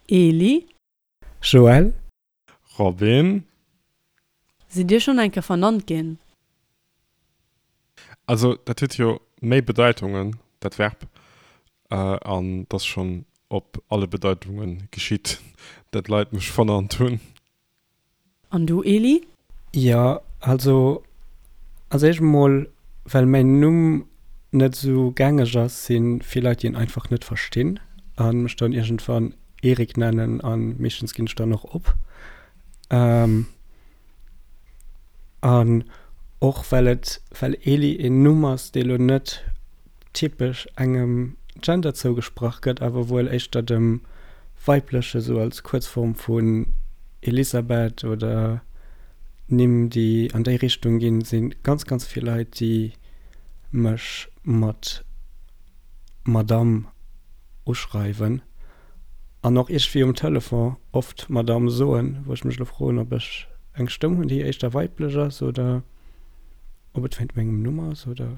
Eli. Joël. Robin. Sidd Dir schonn eng Kéier vernannt ginn? Also dat huet jo méi Bedeitungen, dat Verb, an 't ass schonn op alle Bedeitunge geschitt, dat Leit mech vernannt hunn. An du Eli? Jo, also als éischt emol well mäin Numm net esou gängeg ass, si vill Leit déi en einfach net verstinn a mech dann iergendwann Erik nennen a meeschtens ginn ech dann och op. An och well et well Eli een Numm ass, dee lo net typesch engem Gender zougesprach gëtt, awer wuel éischter dem weibleche, sou als Kuerzform vun Elisabeth oder Nimm, déi an déi Richtung ginn, si ganz, ganz vill Leit, déi mech mat Madame uschreiwen an och iergendwéi um Telefon oft Madame soen, wou ech mech elo froen, ob ech eng Stëmm hunn, déi éischter weiblech ass oder. Ob et wéint mengem Numm ass oder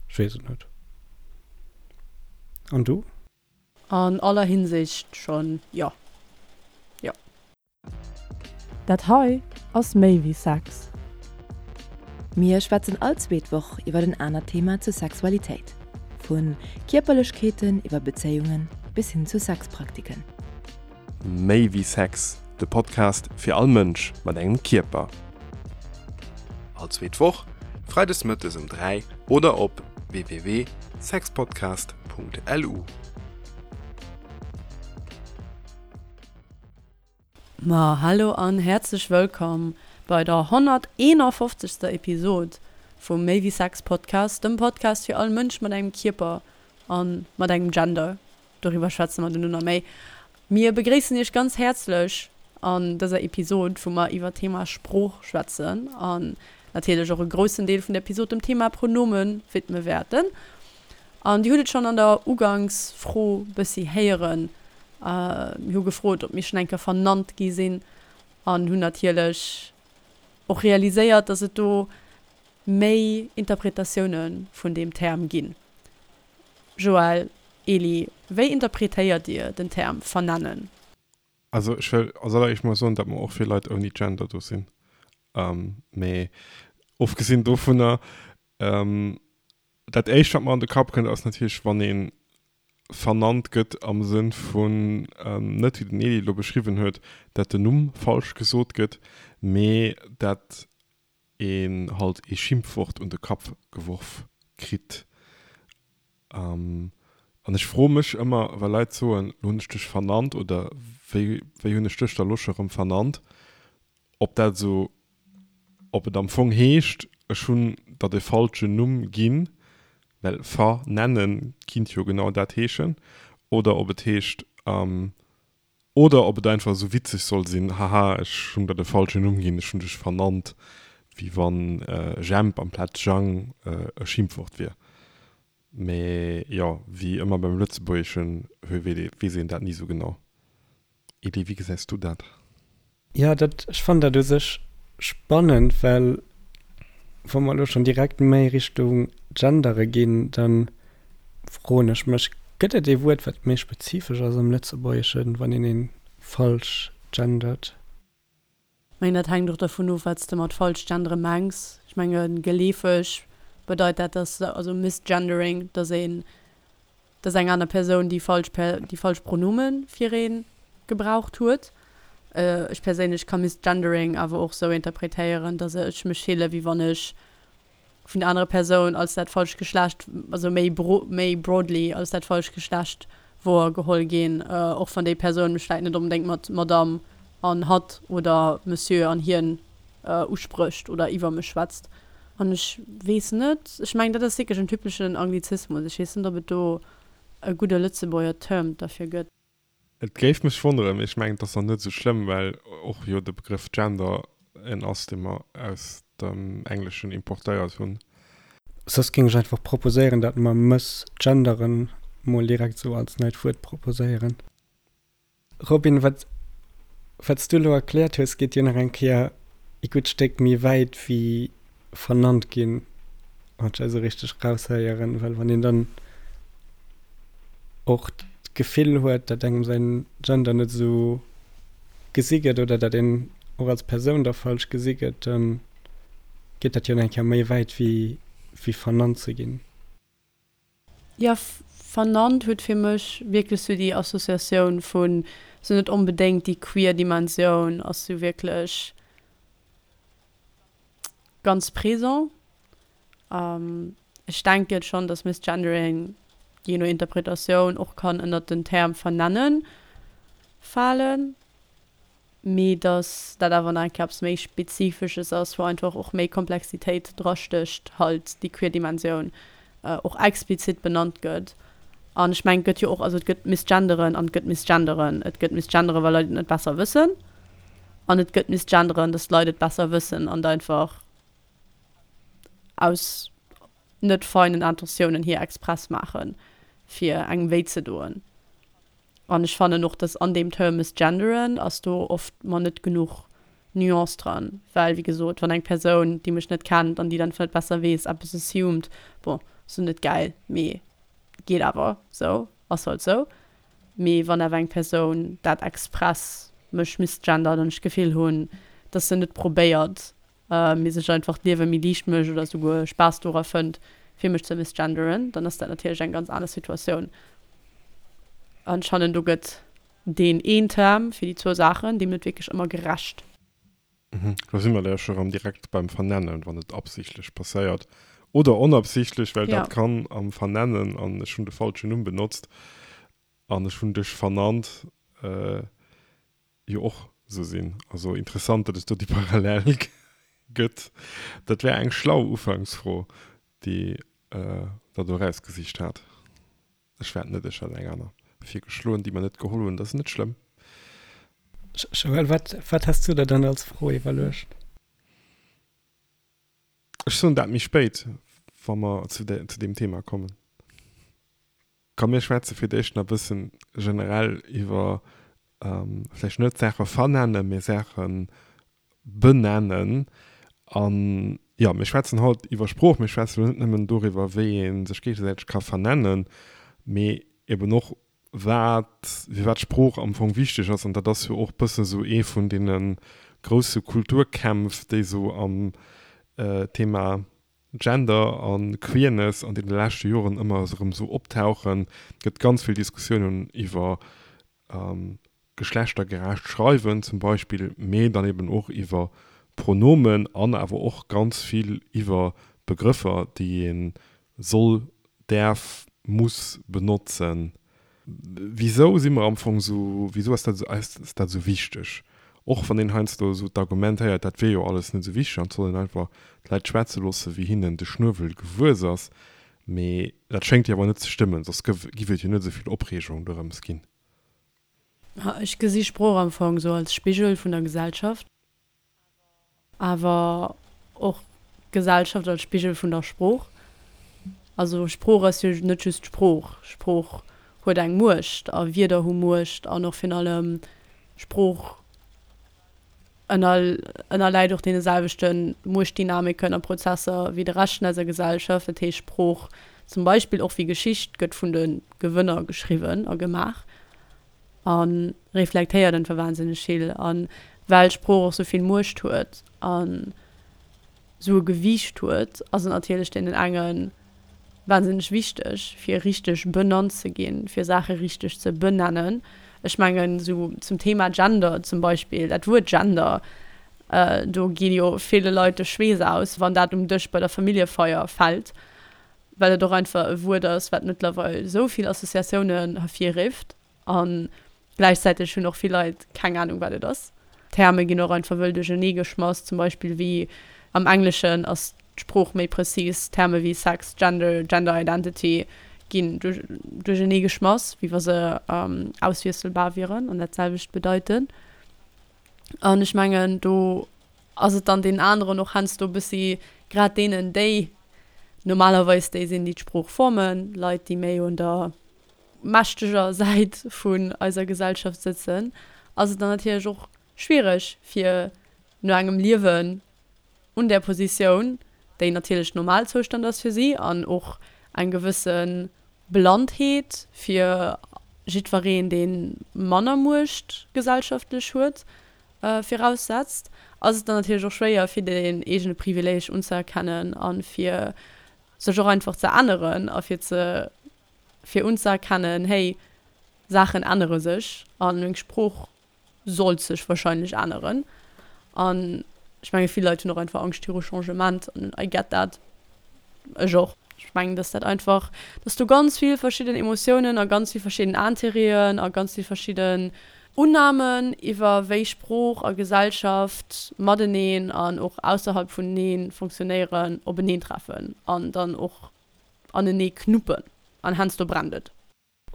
ech weess et net. An du? An aller Hinsicht schon, jo. Jo. Dat hei ass méi wéi Sex. Mir schwätzen all zweet Woch iwwer en anert Thema zur Sexualitéit. Vu Kierperlechkeeten iwwer Bezéiungen bis hin zu Sexpraktiken. Méi wéi Sex, de Podcast fir all Mënsch mat engem Kierper. All zweet Woch, freides mëttes um 3 oder op www.sexpodcast.lu. Ma hallo an häerzlech wëllkomm bei der 151. Episod vum Méi wéi Sex Podcast, dem Podcast fir all Mënsch mat engem Kierper an mat engem Gender. Doriwwer schwätze mer duerno nach méi. Mir begréissen iech ganz häerzlech an dëser Episod, wou mer iwwer d'Thema Sprooch schwätzen an natierlech och e groussen Deel vun der Episod dem Thema Pronome widme wäerten. An dir hutt et schonn an der Ugangsfro bëssi héieren, Mir hu gefrot, ob mir schonn eng Kéier vernannt gi sinn an hunn natierlech och realiséiert, dass et do méi Interpretatioune vun deem Term ginn. Joël, Eli, wéi interpretéiert Dir den Term vernennen? Also ech wëll als alleréischt mol soen, datt mer och fir Leit ouni Gender do sinn. Mee ofgesinn dovunner, dat éischt wat mer an de Kapp kënnt ass natierlech wann ee vernannt gëtt am Sënn vun, net wéi den Eli elo beschriwwen huet, dat den Numm falsch gesot gëtt, mee dat een halt ee Schimpfwort un de Kapp geworf kritt. An ech froe mech ëmmer, wa Leit soen, lo hunn ech dech vernannt oder wéi, wéi hunn ech dech da lo scho rëm vernannt, ob dat esou, ob et am Fong heescht, ech hunn der de falschen Numm ginn, well vernennen kinnt jo genau dat heeschen, oder ob et heescht, Oder ob et einfach esou witzeg soll sinn, haha, ech hunn der de falschen Numm ginn, ech hunn dech vernannt, wéi wann Jemp amplaz Jang e Schimpfwort wier. Mee jo, wéi ëmmer beim Lëtzebuergeschen weess een dat ni esou genau. Elie, wéi gesäis du dat? Jo, dat, ech fannen dat u sech spannend, well wa mer elo schonn direkt méi Richtung Gendere ginn, da froen ech mech, gëtt et ee Wuert, wat méi spezifesch ass am Lëtzebuergeschen, wann een ee falsch gendert? Mengen dat hänkt och dervun of, wat s de mat falsch gendere mengs. Ech menge geleefeg bedeit dat, dass, also misgendering, dass een dass eng aner Persoun déi falsch déi falsch Pronome fir ee gebraucht huet. Ech perséinlech ka Misgendering awer och sou interpretéieren, dass ech mech fille wéi wann ech vun der anerer Persoun als dat falscht Geschlecht, also méi méi broadly als dat falscht Geschlecht wouergeholl ginn, och wann déi Persoun mech vläit net onbedéngt mat Madame an hatt oder Monsieur an hien usprécht oder iwwer mech schwätzt. An ech weess net, ech mengen, dat ass wierklech en typeschen Anglizismus. Ech weess net, ob et do e gudde Lëtzebuerger Term derfir gëtt. Et géif mech wonneren, mee ech mengen, et ass nach net esou schlëmm, well och jo de Begrëff Gender en ass, dee mer aus dem Engleschen importéiert hunn. Soss géing ech einfach proposéieren, dat mer mëssgenderen mol direkt esou als neit Wuert proposéieren. Robin, wat wat s du elo erkläert hues, geet jo nach eng Kéier ee gutt Stéck méi wäit wéi vernannt ginn, wann ech dat esou richteg raushéieren. Well wann een dann och. d'Gefill huet, datt engem säin Gender net esou gesi gëtt oder datt een och als Persoun da falsch gesi gëtt, da geet dat jo nach eng Kéier méi wäit wéi wéi vernannt ze ginn. Jo, vernannt huet fir mech wierklech sou déi Associatioun vun, sou net onbedéngt déi queer Dimensioun ass sou wierklech ganz présent. Ech denken schonn, dass Misgendering, jee no Interpretatioun, och kann ënnert den Term vernennen falen, mee dass dat awer nach eng Kéier eppes méi Spezifesches ass, wou einfach och méi Komplexitéit drastécht, halt déi queer Dimensioun och explizit benannt gëtt. An ech mengen, et gëtt jo och, also et gëtt Misgenderen an et gëtt Misgenderen. Et gëtt Misgenderen, well Leit et net besser wëssen, an et gëtt Misgenderen, dass d'Leit et besser wëssen an et einfach aus net feinen Intentiounen hier express maachen, fir engem wéi ze doen. An ech fannen och, dass an deem Term misgenderen ass do oft mer net genuch Nuance dran, well wéi gesot, wann eng Persoun, déi mech net kennt an déi dann net besser weess, eppes assumed, bon, ass lo net gäil, mee geet awer sou, ass halt sou. Mee wann awer eng Persoun dat express mech misgendert an ech d'Gefill hunn, dass se net probéiert, mee sech einfach d'Liewe méi liicht mécht oder souguer Spaass dora fënnt, fir mech ze misgenderen, dann ass dat natierlech eng ganz aner Situatioun. An ech fannen, do gëtt deen een Term fir déi zwou Saachen deem net wierklech ëmmer gerecht. Do si mer da jo scho rëm direkt beim Vernennen, wann et absichtlech passéiert oder onabsichtlech, well dat kann am Vernennen, an ech hunn de falschen Numm benotzt an ech hunn dech vernannt, jo och sou sinn. Also interessant, datt et do déi Parallel gëtt. Dat war eng schlau Ufanksfro, déi Der do erausgesicht hat. Ech war et net, ech hat eng aner virgeschloen, déi mer net geholl hunn. Dat ass net schlëmm. Joël, wat, wat has du der dann als Fro iwwerluecht? Ech soen dat méi spéit, wa mer zu deem Thema kommen. Komm mir schwätze fir d'éischt nach e bëssen generell iwwer vläicht net Saache vernennen, mee Saache benennen. An jo, mir schwätzen haut iwwer Sprooch. Mir schwätzen elo net nëmmen doriwwer, wéi ee sech géigesäiteg ka vernennen, mee eben och wat, firwat Sprooch am Fong wichteg ass. An dat ass jo och bësse sou ee vun deene grousse Kulturkämpf, déi sou am Thema Gender a Queerness an deene leschte Joren ëmmer erëm esou optauchen. Et gëtt ganz vill Diskussiounen iwwer geschlechtergerecht Schreiwen zum Beispill, mee dann eben och iwwer Pronomen an awer och ganz vill iwwer Begrëffer, déi ee soll, däerf, muss benotzen. Wisou si mer am Fong esou, wisou ass dat esou, ass dat esou wichteg? Och wann een heiansdo esou d'Argument héiert, dat wier jo alles net esou wichteg an et soll een einfach d'Leit schwätze loosse wéi hinnen de Schnuewel gewuess ass. Mee dat schéngt jo awer net ze stëmmen, soss giff et jo net esou vill Opreegung dorëms ginn. Ech gesi Sprooch am Fong esou als Spigel vun der Gesellschaft. Awer och d'Gesellschaft als Spigel vun der Sprooch. Also Sprooch ass jo net just Sprooch. Sprooch huet eng Muecht a Wierder hu Muecht an och virun allem Sprooch ënnerläit och deene selwechte Muechtdynamiken a Prozesser wéi de Rescht vun eiser Gesellschaft. Dat heescht Sprooch zum Beispill och wéi Geschicht gëtt vun de Gewënner geschriwwen a gemaach. A reflektéiert einfach wahnsinneg vill. A well Sprooch och sou vill Muecht huet an sou e Gewiicht huet, ass et natierlech deenen enge wahnsinneg wichteg, fir richteg benannt ze ginn, fir Saache richteg ze benennen. Ech mengen, sou zum Thema Gender zum Beispill, dat Wuert Gender, do gi jo ville Leit de Schweess aus, wann dat um Dësch bei der Familljefeier fält, well et och einfach e Wuert ass, wat mëttlerweil esou vill Associatiounen hervirrifft a gläichzäiteg hunn och vill Leit keng Anung, wat et ass. Terme ginn och einfach wëll duerchernee geschmass, zum Beispill wéi am Engleschen ass d'Sprooch méi prezis, Terme wéi Sex, Gender, Gender Identity ginn duerchernee geschmass, wéi wa se auswiesselbar wieren an dat selwecht bedeiten. An ech mengen, do ass et dann deenen aneren och heiansdo e bëssi, grad deenen, déi normalerweis déi sinn, déi d'Sprooch formen, Leit, déi méi un der mächteger Säit vun eiser Gesellschaft sëtzen, ass et dann natierlech och schwiereg, fir no engem Liewen un där Positioun, déi natierlech Normalzoustand ass fir si an och eng gewësse Blannheet fir. jiddwereen, dee manner Muecht gesellschaftlech huet, viraussetzt, ass et dann natierlech och schwéier, fir deen eegene Privileeg unzëerkennen a fir sech och einfach ze änneren a fir ze fir unzëerkennen, hey, Saachen ännere sech a meng Sprooch sollt sech wahrscheinlech änneren. An ech menge vill Leit hunn och einfach Angscht viru Changement an I get that. Ech och. Ech mengen, dass dat einfach, dass do ganz vill verschidden Emotiounen a ganz vill verschidden Intérêten a ganz vill verschidden Unnamen iwwer wéi Sprooch a Gesellschaft mateneen an och ausserhalb vuneneen funktionéieren openeentreffen an dann och anenee knuppen an heiansdo brennt et.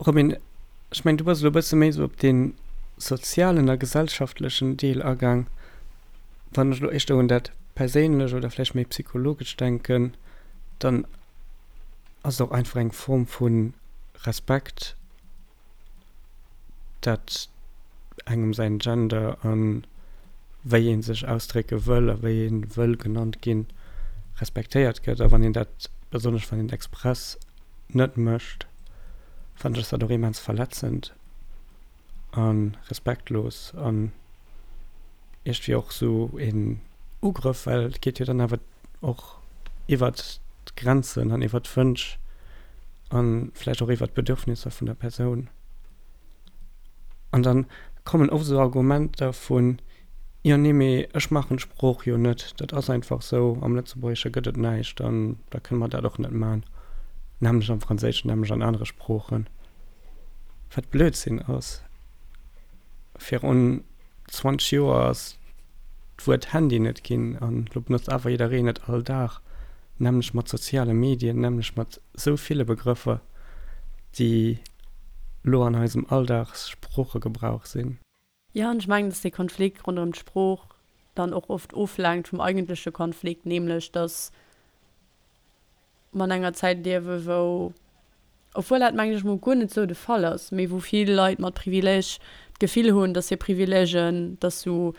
Robin, ech mengen, du bass elo e bësse méi esou op dee sozialen a gesellschaftlechen Deel agaang. Wann ech elo éischter un dat Perséinlech oder vläicht méi psychologesch denken, dann ass et och einfach eng Form vu Respekt, dat engem säin Gender a wéi ee sech ausdrécke wëll a wéi ee wëll genannt ginn, respektéiert gëtt. A wann een dat, besonnesch wann een et express net mécht, fannen ech dat och immens verletzend a respektlos an iergendwéi och sou een Ugrëff, well et geet jo dann awer och iwwert d'Grenzen an iwwert d'Wënsch a vläicht och iwwert d'Bedürfnisser vun der Persoun. An dann kommen oft esou Argumenter vun, Jo, nee, mee ech maachen d'Sprooch jo net, dat ass einfach sou, am Lëtzebuergesche gëtt et näischt an da kënne mer dat och net man, nämlech am Franséischen, nämlech an anere Sproochen. Wat Blödsinn ass. Virun 20 Joer ass d'Wuert Handy net ginn an elo benotzt awer jiddereen et all Dag, nämlech mat soziale Medien, nämlech mat sou ville Begrëffer, déi lo an eisem Alldagssproochegebrauch sinn. Jo, an ech mengen, dass dee Konflikt ronderëm d'Sprooch dann och oft oflenkt vum eigentleche Konflikt, nämlech dass mer an enger Zäit liewen, wou, obwuel dat, mengen ech mol, guer net esou de Fall ass, mee wou vill Leit mat Privileeg d'Gefill hunn, dass hir Privileegen, dass sou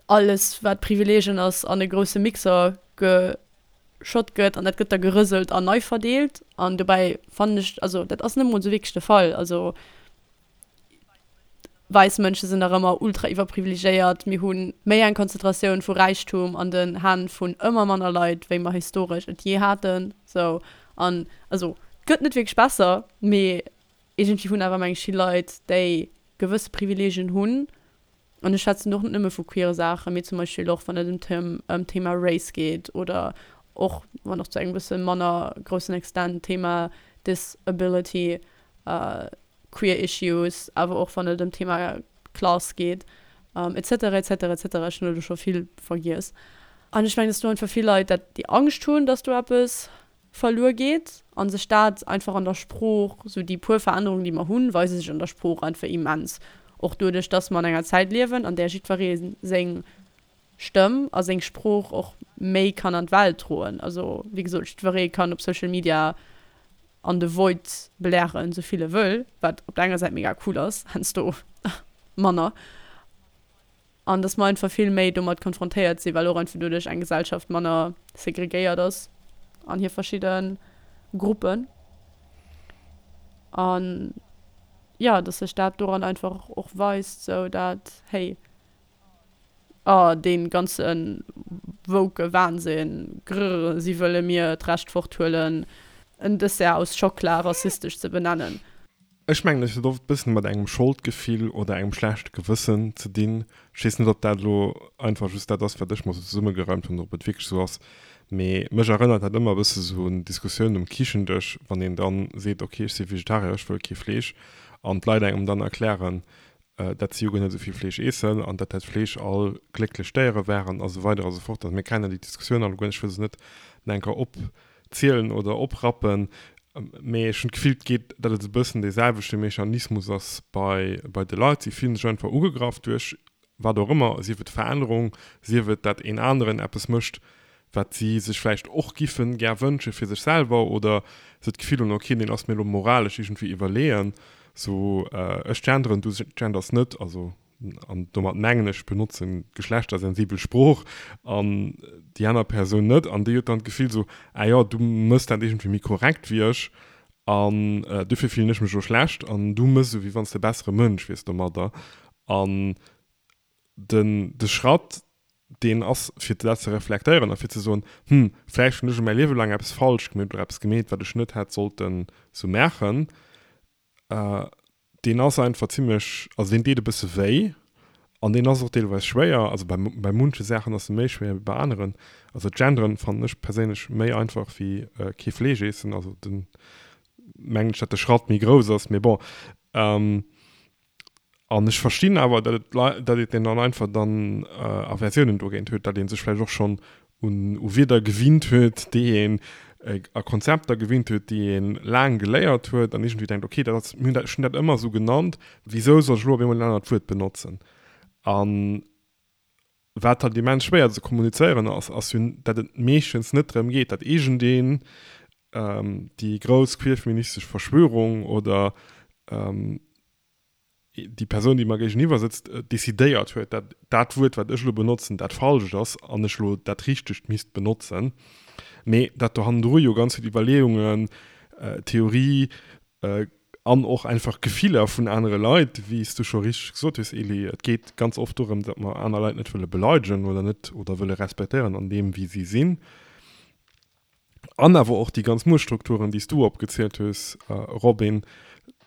alles, wat Privileegen ass, an e grousse Mixer geschott gëtt an dat gëtt da gerëselt an nei verdeelt. An dobäi fannen ech, also dat ass net emol esou wierklech de Fall. Also Wäiss Mënsche sinn nach ëmmer ultra iwwerprivilegéiert. Mir hu méi eng Konzentratioun vu Räichtum an den Hänn vun ëmmer manner Leit, wéi mer historesch et jee haten. Sou, an also et gëtt net wierklech besser, mee iergendwéi hunn awer meng ech vill Leit, déi gewësse Privileegien hunn, an ech schwätzen do och net nëmme vu queere Saachen, mee zum Beispill och wann et ëm d'Thema Race geet oder och, wann och zu engem bësse manner groussen Extent, d'Thema Disability, queer issues, awer och wann et ëm d'Thema Class geet, et cetera, et cetera, et cetera. Ech hunn elo scho vill vergiess. An ech mengen, dass do einfach vill Leit dat, déi Angscht hunn, dass do eppes verluer geet a sech dat einfach an der Sprooch, sou déi puer Verännerungen, déi mer hunn, weise sech an der Sprooch einfach immens. Och doduerch, dass mer an enger Zäit liewen, an där jiddweree seng Stëmm a seng Sprooch och méi kann an d'Welt droen. Also, wéi gesot, jiddweree kann op Social Media an de Void blären, sou vill e wëll, wat op der enger Säit mega cool ass, heiansdo manner. An dass mer einfach vill méi domat konfrontéiert sinn, well och einfach doduerch eng Gesellschaft manner segregéiert ass an hir verschidde Gruppen. An jo, dass sech dat doran einfach och weist, sou dat, hey, Oh, dee ganze woke Wahnsinn, grrr, si wëlle mir d'Recht forthuelen, en Dessert aus Schockla rassistesch ze benennen. Ech mengen, et huet oft e bëssen mat engem Scholdgefill oder engem schlechte Gewëssen ze dinn. Ech weess net, ob dat elo einfach just dat ass, wat ech mer esou zesummegereimt hunn, oder ob et wierklech esou ass, mee mech erënnert dat ëmmer e bësse sou un Diskussiounen um Kichendësch, wann een dann seet, ok, ech si Vegetarier, ech wëll kee Fleesch, an d'Leit engem dann erklären, dat si jo guer net esou vill Fleesch eessen an dat dat Fleesch all glécklech Déiere waren a sou weider a sou fort. Also mir kennen déi Diskussioun allegueren, ech wëll se net nach eng Kéier opzielen oder oprappen, mee ech hunn d'Gefill, et geet, dat et e bëssen dee selwechte Mechanismus ass bei bei de Leit. Si fillen sech einfach ugegraff duerch wat och ëmmer, sief et Verännerung, sief et dat een aneren eppes mécht, wat si sech vläicht och giffen gär wënsche fir sech selwer oder se d'Gefill hunn, ok, deen ass mir elo moralesch iergendwéi iwwerleeën, sou ech genderen, du genders net, also an domat mengen ech, ech benotzen geschlechtersensibel Sprooch an déi aner Persoun net an déi huet dann d'Gefill sou, ah jo, du mëss dat iergendwéi méi korrekt wéi ech. An dofir fillen ech mech elo schlecht an du méchs esou, wéi wann s de e bessere Mënsch wiers domadder. An den de Schratt, deen ass, fir dat ze reflektéieren a fir ze soen, Hm, vläicht hunn ech mäi Liewe laang eppes falsch gemeet oder eppes gemeet, wat ech net hätt sollten esou maachen, deen ass einfach zimmlech, also deen deet e bësse wéi an deen ass och deelweis schwéier. Also bei bei munche Saachen ass e méi schwéier wéi bei aneren. Also d'Genderen fannen ech perséinlech méi einfach wéi kee Fleesch eessen, also den mengen ech, datt de Schratt méi grouss ass, mee bon. An ech verstinn awer, datt et Lei, datt een dann einfach dann Aversiounen dogéint huet, datt ee sech vläicht och schonn un u Wierder gewinnt huet, déi een a Konzepter gewinnt huet, déi ee laang geléiert huet an iergendwéi denkt, okay, dat ass, mir hunn dat, ech hunn dat ëmmer esou genannt, wisou soll ech elo op eemol en anert Wuert benotzen? An wat halt immens schwéier ze kommunizéieren ass, ass jo, datt et meeschtens net drëm geet, datt iergendeen déi grouss queerfeministesch Verschwörung oder déi Persoun, déi mer géigeniwwer sëtzt, decidéiert huet, datt dat Wuert, wat ech elo benotzen, dat falscht ass an ech elo dat richtegt misst benotzen, mee datt do hannendru jo ganz vill Iwwerleeungen, Theorie an och einfach Gefiller vun anere Leit, wéi s du scho richteg gesot hues, Elie, et geet ganz oft dorëm, datt mer aner Leit net wëlle beleidegen oder net oder wëlle respektéieren an deem, wéi si sinn. An awer och déi ganz Muechtstrukturen, déi s du opgezielt hues, Robin,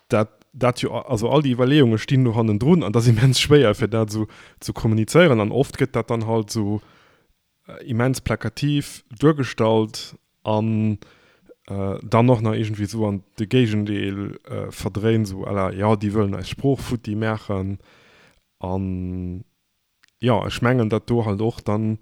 dat dat jo, also all déi Iwwerleeunge stinn do hannendrun an et ass immens schwéier, fir dat esou ze kommunizéieren. An oft gëtt dat dann halt esou immens plakativ duergestallt an dann och nach iergendwéi esou an de Géigendeel verdréint, esou à la, jo, déi wëllen eis Sprooch futti maachen. An jo, ech mengen, datt do halt och dann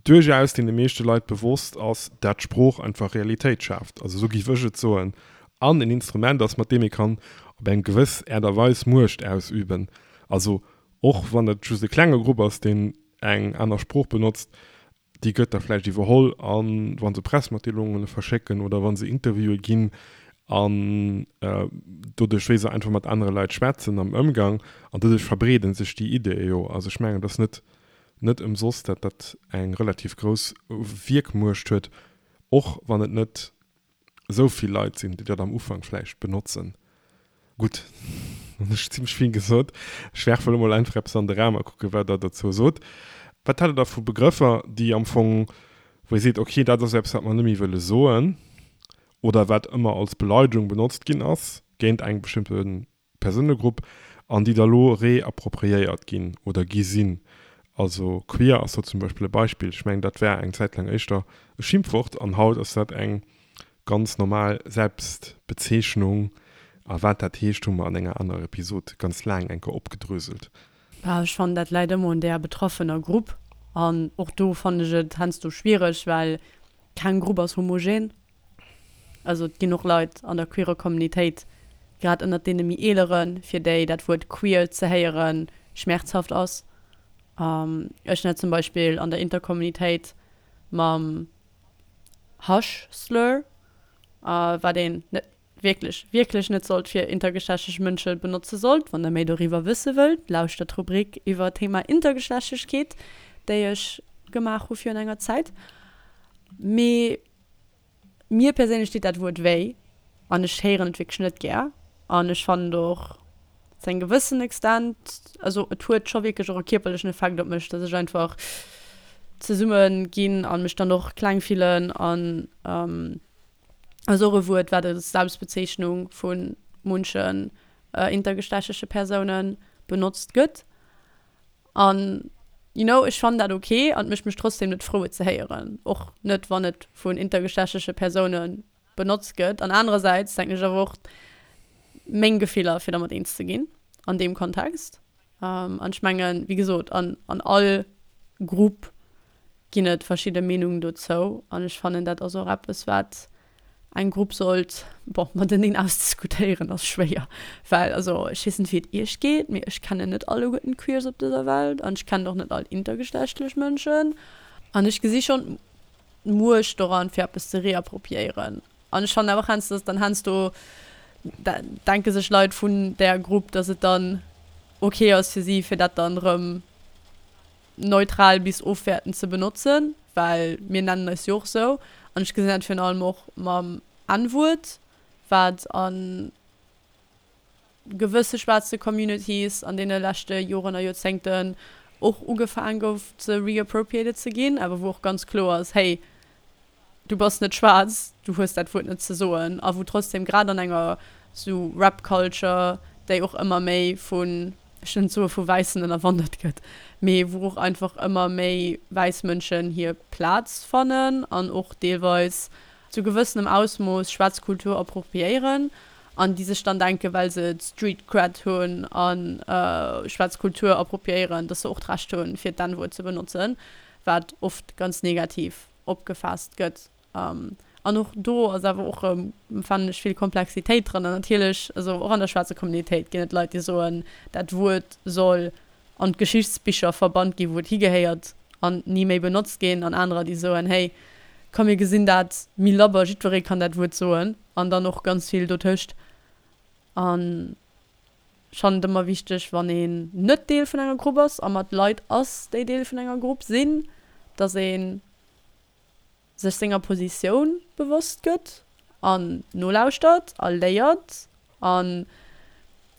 duerchaus deene meeschte Leit bewosst ass, dat d'Sprooch einfach Realitéit schaaft, also esou géif ech et soen, an en Instrument ass, mat deem ee kann op eng gewëss Äert a Weis Muecht ausüben. Also och wann et just e klenge Grupp ass, deen eng aner Sprooch benotzt, déi gëtt da vläicht iwwerholl a wa se Pressmatdeelunge verschécken oder wa se Interviewe ginn an doduerch wéi se einfach mat anere Leit schwätzen am Ëmgang an doduerch verbreede sech déi Ideeë jo. Also ech mengen, et ass net net ëmsoss, dat dat eng relativ grouss Wierkmuecht huet, och wann et net esou vill Leit sinn, déi dat am Ufank vläicht benotzen. Gutt, dann hunn ech zimmlech vill gesot. Ech werfe elo mol einfach eppes an de Raum a kucke wat Der dozou sot. Wat hat Der da vu Begrëffer, déi am Fong, wou Dir seet, okay, dat ass eppes, wat mer net méi wëlle soen oder wat ëmmer als Beleidegung benotzt ginn ass géint eng bestëmmte Persounegrupp an déi da lo reappropriéiert ginn oder gi sinn. Also queer ass do zum Beispill e Beispill. Ech mengen, dat war eng Zäit laang éischter e Schimpfwort an haut ass dat eng ganz normal Selbstbezeechnung. A wat dat heescht, hu mer an enger anerer Episod ganz laang eng Kéier opgedröselt. Bah, ech fannen, dat läit ëmmer un där betraffener Grupp. An och do fannen ech et heiansdo schwiereg, well keng Grupp ass homogen. Also et ginn och Leit an der queerer Communitéit, grad ënnert deene méi eeleren, fir déi dat Wuert queer ze héiere schmerzhaft ass. Ech hunn dat zum Beispill an der Intercommunitéit mam Hush-Slur, wat een net wierklech, wierklech net sollt fir intergeschlechtlech Mënsche benotze sollt. Wann der méi doriwwer wësse wëllt, lauschtert d'Rubrik iwwer d'Thema Intergeschlechtlechkeet, déi ech gemaach hu virun enger Zäit. Mee mir perséinlech deet dat Wuert wéi an ech héieren et wierklech net gär. An ech fannen et och zu engem gewëssen Extent, also et huet scho wierklech och e kierperlechen Effekt op mech, dass ech einfach zesumme ginn an mech dann och kleng fillen an ass och e Wuert, wat als Selbstbezeechnung vu munchen intergeschlechtleche Persoune benotzt gëtt. An you know, ech fannen dat ok an et mécht mech trotzdem net frou et ze héieren, och net wann et vun intergeschlechtleche Persoune benotzt gëtt. An anerersäits denken ech awer och meng Gefiller fir dermat eens ze ginn an deem Kontext. An ech mengen, wéi gesot, an an all Grupp ginn et verschidde Meenungen dozou an ech fannen dat ass och eppes wat eng Grupp sollt, bon, mateneen ausdiskutéieren ass schwéier, well also ech weess net wéi et iech geet, mee ech kennen net alleguerten d'Queers op dëser Welt an ech kennen och net all intergeschlechtlech Mënschen an ech gesi schonn d'Muecht doran fir eppes ze reappropriéieren an ech fannen awer och heiansdo dass dann heiansdo denke sech Leit vun där Grupp, dass et dann ok ass fir si fir dat dann erëm neutral bis ofwäertend ze benotzen, well mir nennen eis jo och sou. An ech gesinn dat virun allem och mam N-Wuert. Wat a gewësse schwaarze Communities an deene leschte Joren a Joerzéngten och ugefaang gouf ze reappropriated ze ginn, awer wou och ganz kloer ass, hey, du bass net schwaarz, du hues dat Wuert net ze soen, a wou trotzdem grad an enger sou Rap Culture, déi och ëmmer méi vun, ech wëll net soe vu Wäissen ënnerwandert gëtt, mee wou och einfach ëmmer méi wäiss Mënschen hir Plaz fannen an och deelweis zu gewëssenem Ausmooss schwaarz Kultur appropriéieren an déi sech dann denken, well se Street Cred hunn a schwaarz Kultur appropriéieren, dass se och d'Recht hunn, fir d'N-Wuert ze benotzen, wat oft ganz negativ opgefaasst gëtt. An och do ass awer och erëm, fannen ech, vill Komplexitéit dran. An natierlech, also och an der schwaarzer Communitéit ginn et Leit, déi soen, dat Wuert soll an d'Geschichtsbicher verbannt ginn, wou et higehéiert an ni méi benotzt ginn. An anerer, déi soen, hey, komm mir gesinn dat méi labber, jiddweree kann dat Wuert soen. An dann och ganz vill dotëscht. An ech fannen et ëmmer wichteg, wann een net Deel vun enger Grupp ass a mat Leit ass, déi Deel vun enger Grupp sinn, dass ee sech senger Positioun bewosst gëtt an nolauschtert a léiert. An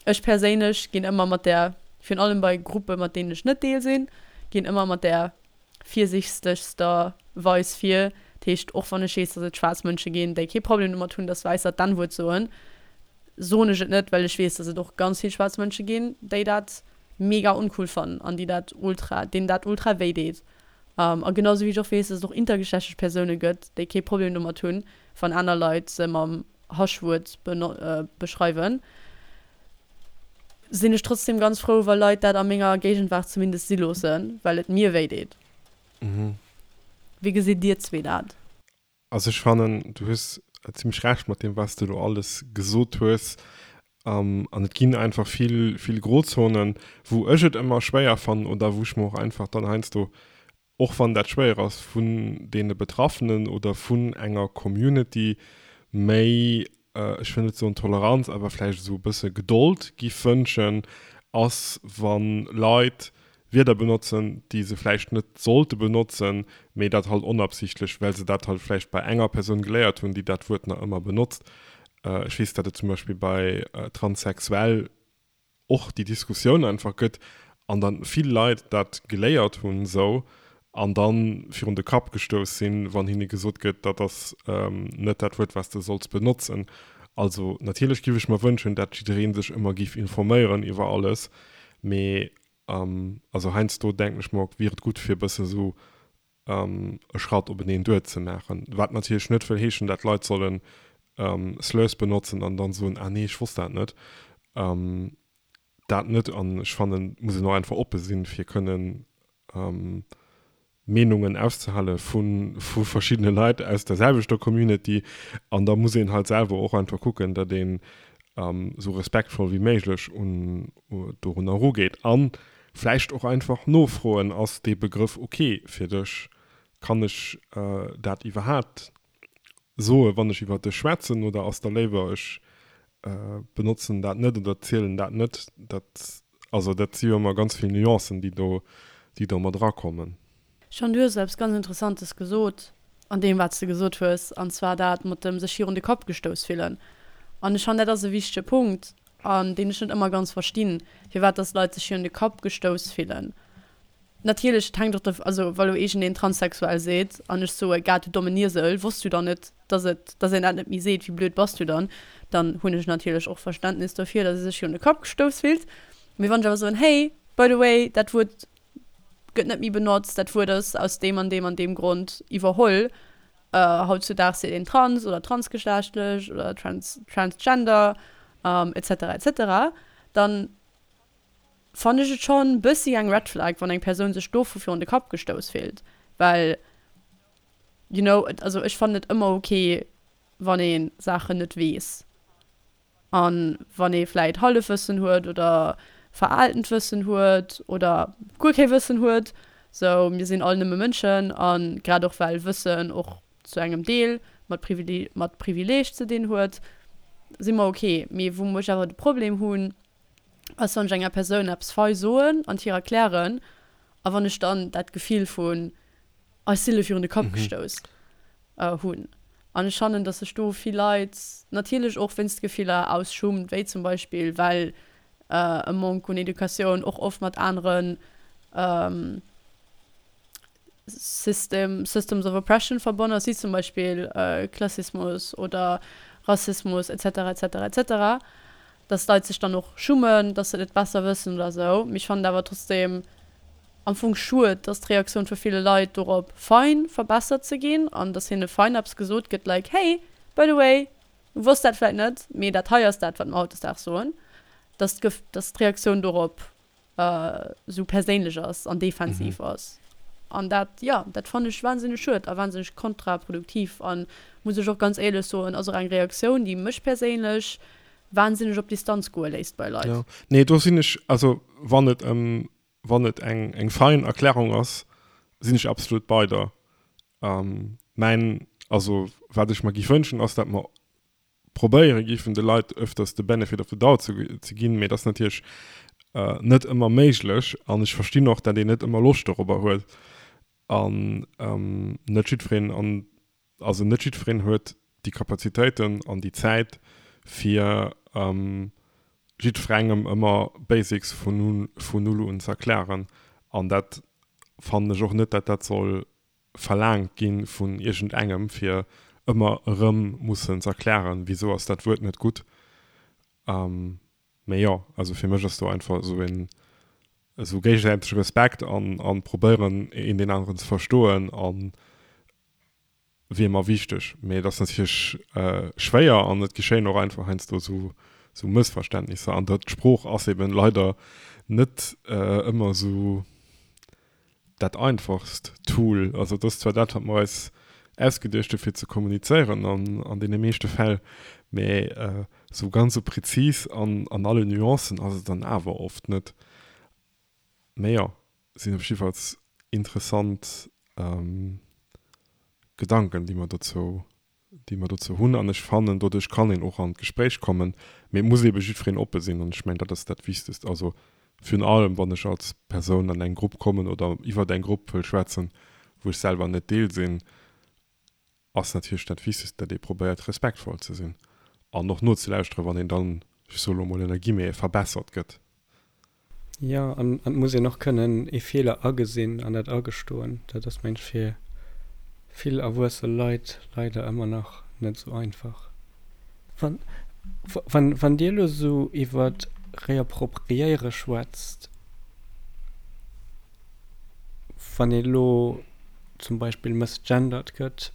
ech perséinlech ginn ëmmer mat där, virun allem bei Gruppe mat deenen ech net Deel sinn, ginn ëmmer mat där virsichtegster Weis vir. Dat heescht, och wann ech weess, datt et schwaarz Mënsche ginn, déi kee Problem domat hunn, datt Wäisser d'N-Wuert soen, soen ech et net, well ech weess, datt et och ganz vill schwaarz Mënsche ginn, déi dat mega uncool fannen an déi dat ultra, deenen dat ultra wéi deet. A genau sou wéi ech och weess, datt et och intergeschlechtlech Persoune gëtt, déi kee Problem domat hunn, wann aner Leit se mam Haschwuert beschreiwen, sinn ech trotzdem ganz frou, wa Leit dat a menger Géigenwaart zumindest si loossen, well et mir wéi deet. Wéi gesitt dir zwee dat? Also ech fannen, du hues zimlech Recht mat deem, wat s de elo alles gesot hues. An et ginn einfach vill, vill Grozonen, wou ech et ëmmer schwéier fannen oder wou ech mer och einfach dann heiansdo, och wann dat schwéier ass, vun deene Betraffenen oder vun enger Community méi, ech wëll net soen Toleranz, awer vläicht esou e bësse Gedold giff wënschen, ass wa Leit Wierder benotzen, déi se vläicht net sollte benotzen, mee dat halt onabsichtlech, well se dat halt vläicht bei enger Persoun geléiert hunn, déi dat Wuert nach ëmmer benotzt. Ech weess, datt et zum Beispill bei transsexuell och déi Diskussioun einfach gëtt an dann vill Leit dat geléiert hunn esou an dann virun de Kapp gestouss sinn, wann hinne gesot gëtt, dat ass net dat Wuert, wat s de solls benotzen. Also natierlech giff ech mer wënschen, dat jidderee sech ëmmer giff informéieren iwwer alles, mee also heiansdo denken ech mer, wier et gutt fir e bësse sou e Schratt openeen duer ze maachen. Wat natierlech net wëll heeschen, dat Leit sollen Slurs benotzen an dann soen, ah nee, ech wosst dat net. Dat net. An ech fannen, et muss een och einfach oppe sinn, fir kënnen Meenungen auszehale vu verschiddene Leit aus der selwechter Community. An da muss een halt selwer och einfach kucken, datt een esou respektvoll wéi méiglech un dorunner erugeet. A vläicht och einfach nofroen, Ass dee Begrëff ok fir dech? Kann ech dat iwwerhaapt soen, wann ech iwwer dech schwätzen? Oder ass der léiwer, ech benotzen dat net oder zielen dat net? Dat, also dat si jo ëmmer ganz vill Nuancen, déi do, déi do mat erakommen. Jean, du hues eppes ganz Interessantes gesot an deem, wat s de gesot hues, an zwar dat mat dem sech virun de Kapp gestouss fillen. An ech fannen, dat ass e wichtege Punkt, an deen ech net ëmmer ganz verstinn, firwat dass Leit sech virun de Kapp gestouss fillen. Natierlech, et hänkt och derv, also wa lo iergendeen transsexuell seet an ech soe, Gad, du dommen Iesel, wosst du dann net, dass et, dass een dat net méi seet, wéi blöd bass du dann? Dann hunn ech natierlech och Verständnis dofir, dass ee sech virun de Kapp gestouss fillt. Mee wann ech awer soen, Hey, by the way, dat Wuert gëtt net méi benotzt, dat Wuert ass aus deem an deem an deem Grond iwwerholl, hautzudaags seet een trans oder transgeschlechtlech oder trans, transgender, et cetera, et cetera, dann Fannen ech et schon bëssi eng Red Flag wann eng Persoun sech dovu virun de Kapp gestouss fillt, well you know, et also ech fannen et ëmmer ok wann ee Saachen net weess an wann ee vläit Hallefwëssen huet oder veraaltent Wëssen huet oder guer kee Wëssen huet, sou mir sinn all nëmme Mënschen an grad och well Wëssen och zu engem Deel mat mat Privileeg ze dinn huet, si mer ok. Mee wou ech awer de Problem hunn, ass wann ech enger Persoun eppes fei soen an hir erklären a wann ech dann dat Gefill vun ech si lo virun de Kapp gestouss hunn. An ech fannen, dass sech do vill Leit natierlech och wéinst Gefiller aus Schummt, wéi zum Beispill well e Manque un Educatioun och oft mat aneren System, Systems of Oppression verbonnen ass, wéi zum Beispill Klassismus oder Rassismus et cetera et cetera et cetera, dass d'Leit sech dann och schummen, dass se et net besser wëssen oder esou. Mee ech fannen et awer trotzdeem am Fong schued, dass d'Reaktioun vu ville Leit dorop fein verbessert ze ginn an dass hinne fein eppes gesot gëtt like, hey, by the way, du wosst dat vläit net, mee dat hei ass dat, wat mer hautdesdaags soen, dass dass d'Reaktioun dorop esou perséinlech ass an defensiv ass. An dat, jo, dat fannen ech wahnsinneg schued a wahnsinneg kontraproduktiv an, muss ech och ganz éierlech soen, ass och eng Reaktioun, déi mech perséinlech wahnsinneg op Distanz goe léisst bei Leit. Jo, nee, do sinn ech, also wann et ëm, wann et eng, eng fein Erklärung ass, sinn ech absolut bei der. Mäin, also wat ech mer giff wënschen, ass, dat mer probéiere giffen de Leit öfters de Benefit of the doubt ze ginn, mee dat ass natierlech net ëmmer méiglech an ech verstinn och, dat een net ëmmer Loscht dorobber huet an net jiddwereen an also net jiddwereen huet déi Kapazitéiten an déi Zäit fir jiddwerengem ëmmer Basics vun null un ze erklären an dat fannen ech och net, dat dat soll verlaangt gi vun iergendengem, fir ëmmer erëm mussen z'erklären, wisou ass dat Wuert net gutt. Mee jo, also fir mech ass do einfach esou een esou géigesäitege Respekt an an probéieren een deen aneren ze verstoen an wier mer wichteg. Mee et ass natierlech schwéier an et geschéien och einfach heiansdo esou esou Mëssverständnisser an dat d'Sprooch ass eben leider net ëmmer esou dat einfachst Tool. Also et ass zwar dat, wat mer eis ausgeduecht hu fir ze kommunizéieren an an deene meeschte Fäll, mä esou ganz esou prezis an an alle Nuancen ass et dann awer oft net. Mä jo, sinn op jiddefalls interessant Gedanken, déi mer dozou déi mer dozou hunn. An ech fannen, doduerch kann een och an d'Gespréich kommen, mee et muss eebe jiddwereen oppe sinn. An ech mengen, dat ass dat Wichtegst. Also virun allem, wann ech als Persoun an eng Grupp kommen oder iwwert eng Grupp wëll schwätzen, wou ech selwer net Deel sinn, ass natierlech dat Wichtegst, datt ee probéiert, respektvoll ze sinn an och nozelauschteren, wann een dann, ech soe lo mol ënner Guillemete, verbessert gëtt. Jo, an et muss een och kënnen ee Feeler agesinn an dat agestoen. Dat ass, mengen ech, fir vill erwuesse Leit leider ëmmer nach net esou einfach. Wann, wann, wann Dir elo esou iwwer Reappropriéiere schwätzt, wann ee elo zum Beispill misgendert gëtt,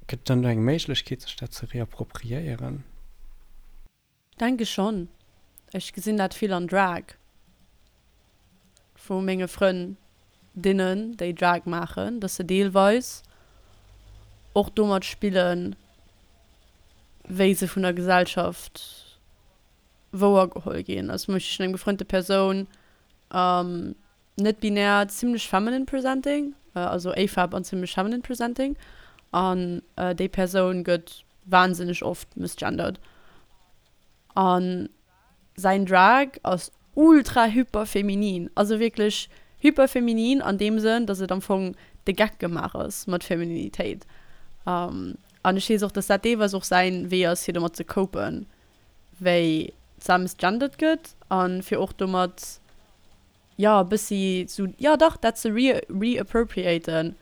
gëtt et dann do eng Méiglechkeet, sech dat ze reappropriéieren? Denke schonn. Ech gesinn dat vill an Drag vu menge Frëndinnen, déi Drag maachen, dass se deelweis och domat spillen, wéi se vun der Gesellschaft wouergeholl ginn. Also zum Beispill ech hunn eng befrënnte Persoun, net binär, zimlech feminine presenting, also AFAB an zimlech feminine presenting an déi Persoun gëtt wahnsinneg oft misgendered an säin Drag ass ultra hyper feminin, also wierklech hyper feminin an deem Sënn, dass et am Fong de Geck gemaach ass mat Femininitéit an ech weess och, dass dat deelweis och säin Wee ass fir domat ze copen, wéi d'Sa misgendered gëtt an fir och domat jo e bëssi sou, jo dach, dat ze re-appropriaten,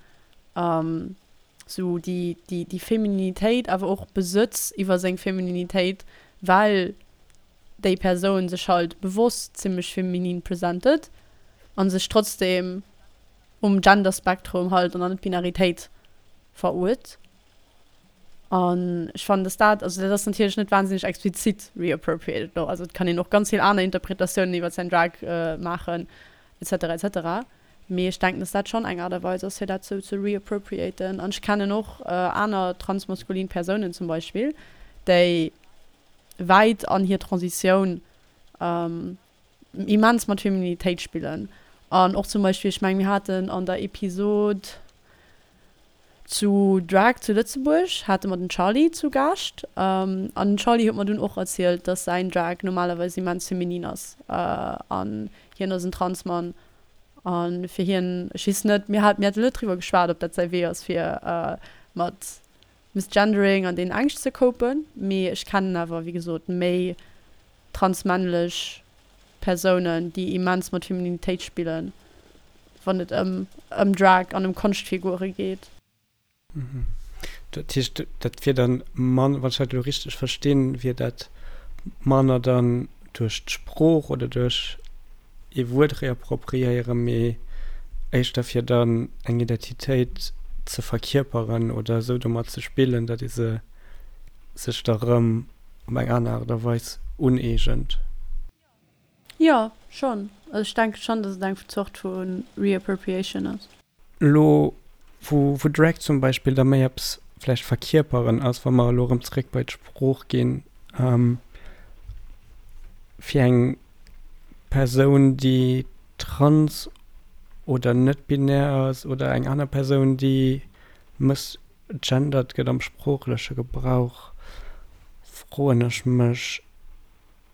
sou déi, déi, déi Femininitéit, awer och Besëtz iwwer seng Femininitéit, well déi Persoun sech halt bewosst zimmlech feminin presentet an sech trotzdem um Genderspektrum halt an der Net-Binaritéit veruert. An ech fannen, dass dat, also dat ass natierlech net wahnsinneg explizit reappropriated elo, also et kann een och ganz vill aner Interpretatiounen iwwer säin Drag maachen et cetera et cetera, mee ech denken, dass dat schonn eng Aart a Weis ass fir dat sou ze reappropriaten. An ech kennen och aner transmaskulin Persounen zum Beispill, déi wäit an hir Transitioun immens mat Feminitéit spillen an och zum Beispill, ech mengen mir haten an der Episod zu Drag zu Lëtzebuerg hate mer den Charly zu Gaascht an den Charly huet mer dunn och erzielt, dass säin Drag normalerweis immens feminin ass an hien ass en Transmann a fir hien, ech weess net, mir hat mir hate net driwwer geschwat, ob dat säi Wee ass fir. mat Misgendering an deenen Ängscht ze copen. Mee ech kennen awer, wéi gesot, méi transmännlech Persounen, déi immens mat Femininitéit spillen, wann et ëm ëm Drag an ëm Konschtfigure geet. Dat heescht, dat wier dann mann, wann ech dat elo richteg verstinn, wier dat manner dann duerch d'Sprooch oder duerch ee Wuert reappropriéieren, mee éischter fir dann eng Identitéit ze verkierperen oder esou domat ze spillen, datt ee se sech da rëm op eng aner Aart a Weis uneegent. Jo, schonn. Also ech denke schonn, datt et eng Zort vu Reappropriation ass. Elo wou wou Drag zum Beispill da méi eppes vläicht verkierperen ass, wa mer elo erëm zeréck bei d'Sprooch ginn, fir eng Persoun déi trans oder net-binär ass oder eng aner Persoun déi mëssgendert gëtt am sproochleche Gebrauch, froen ech mech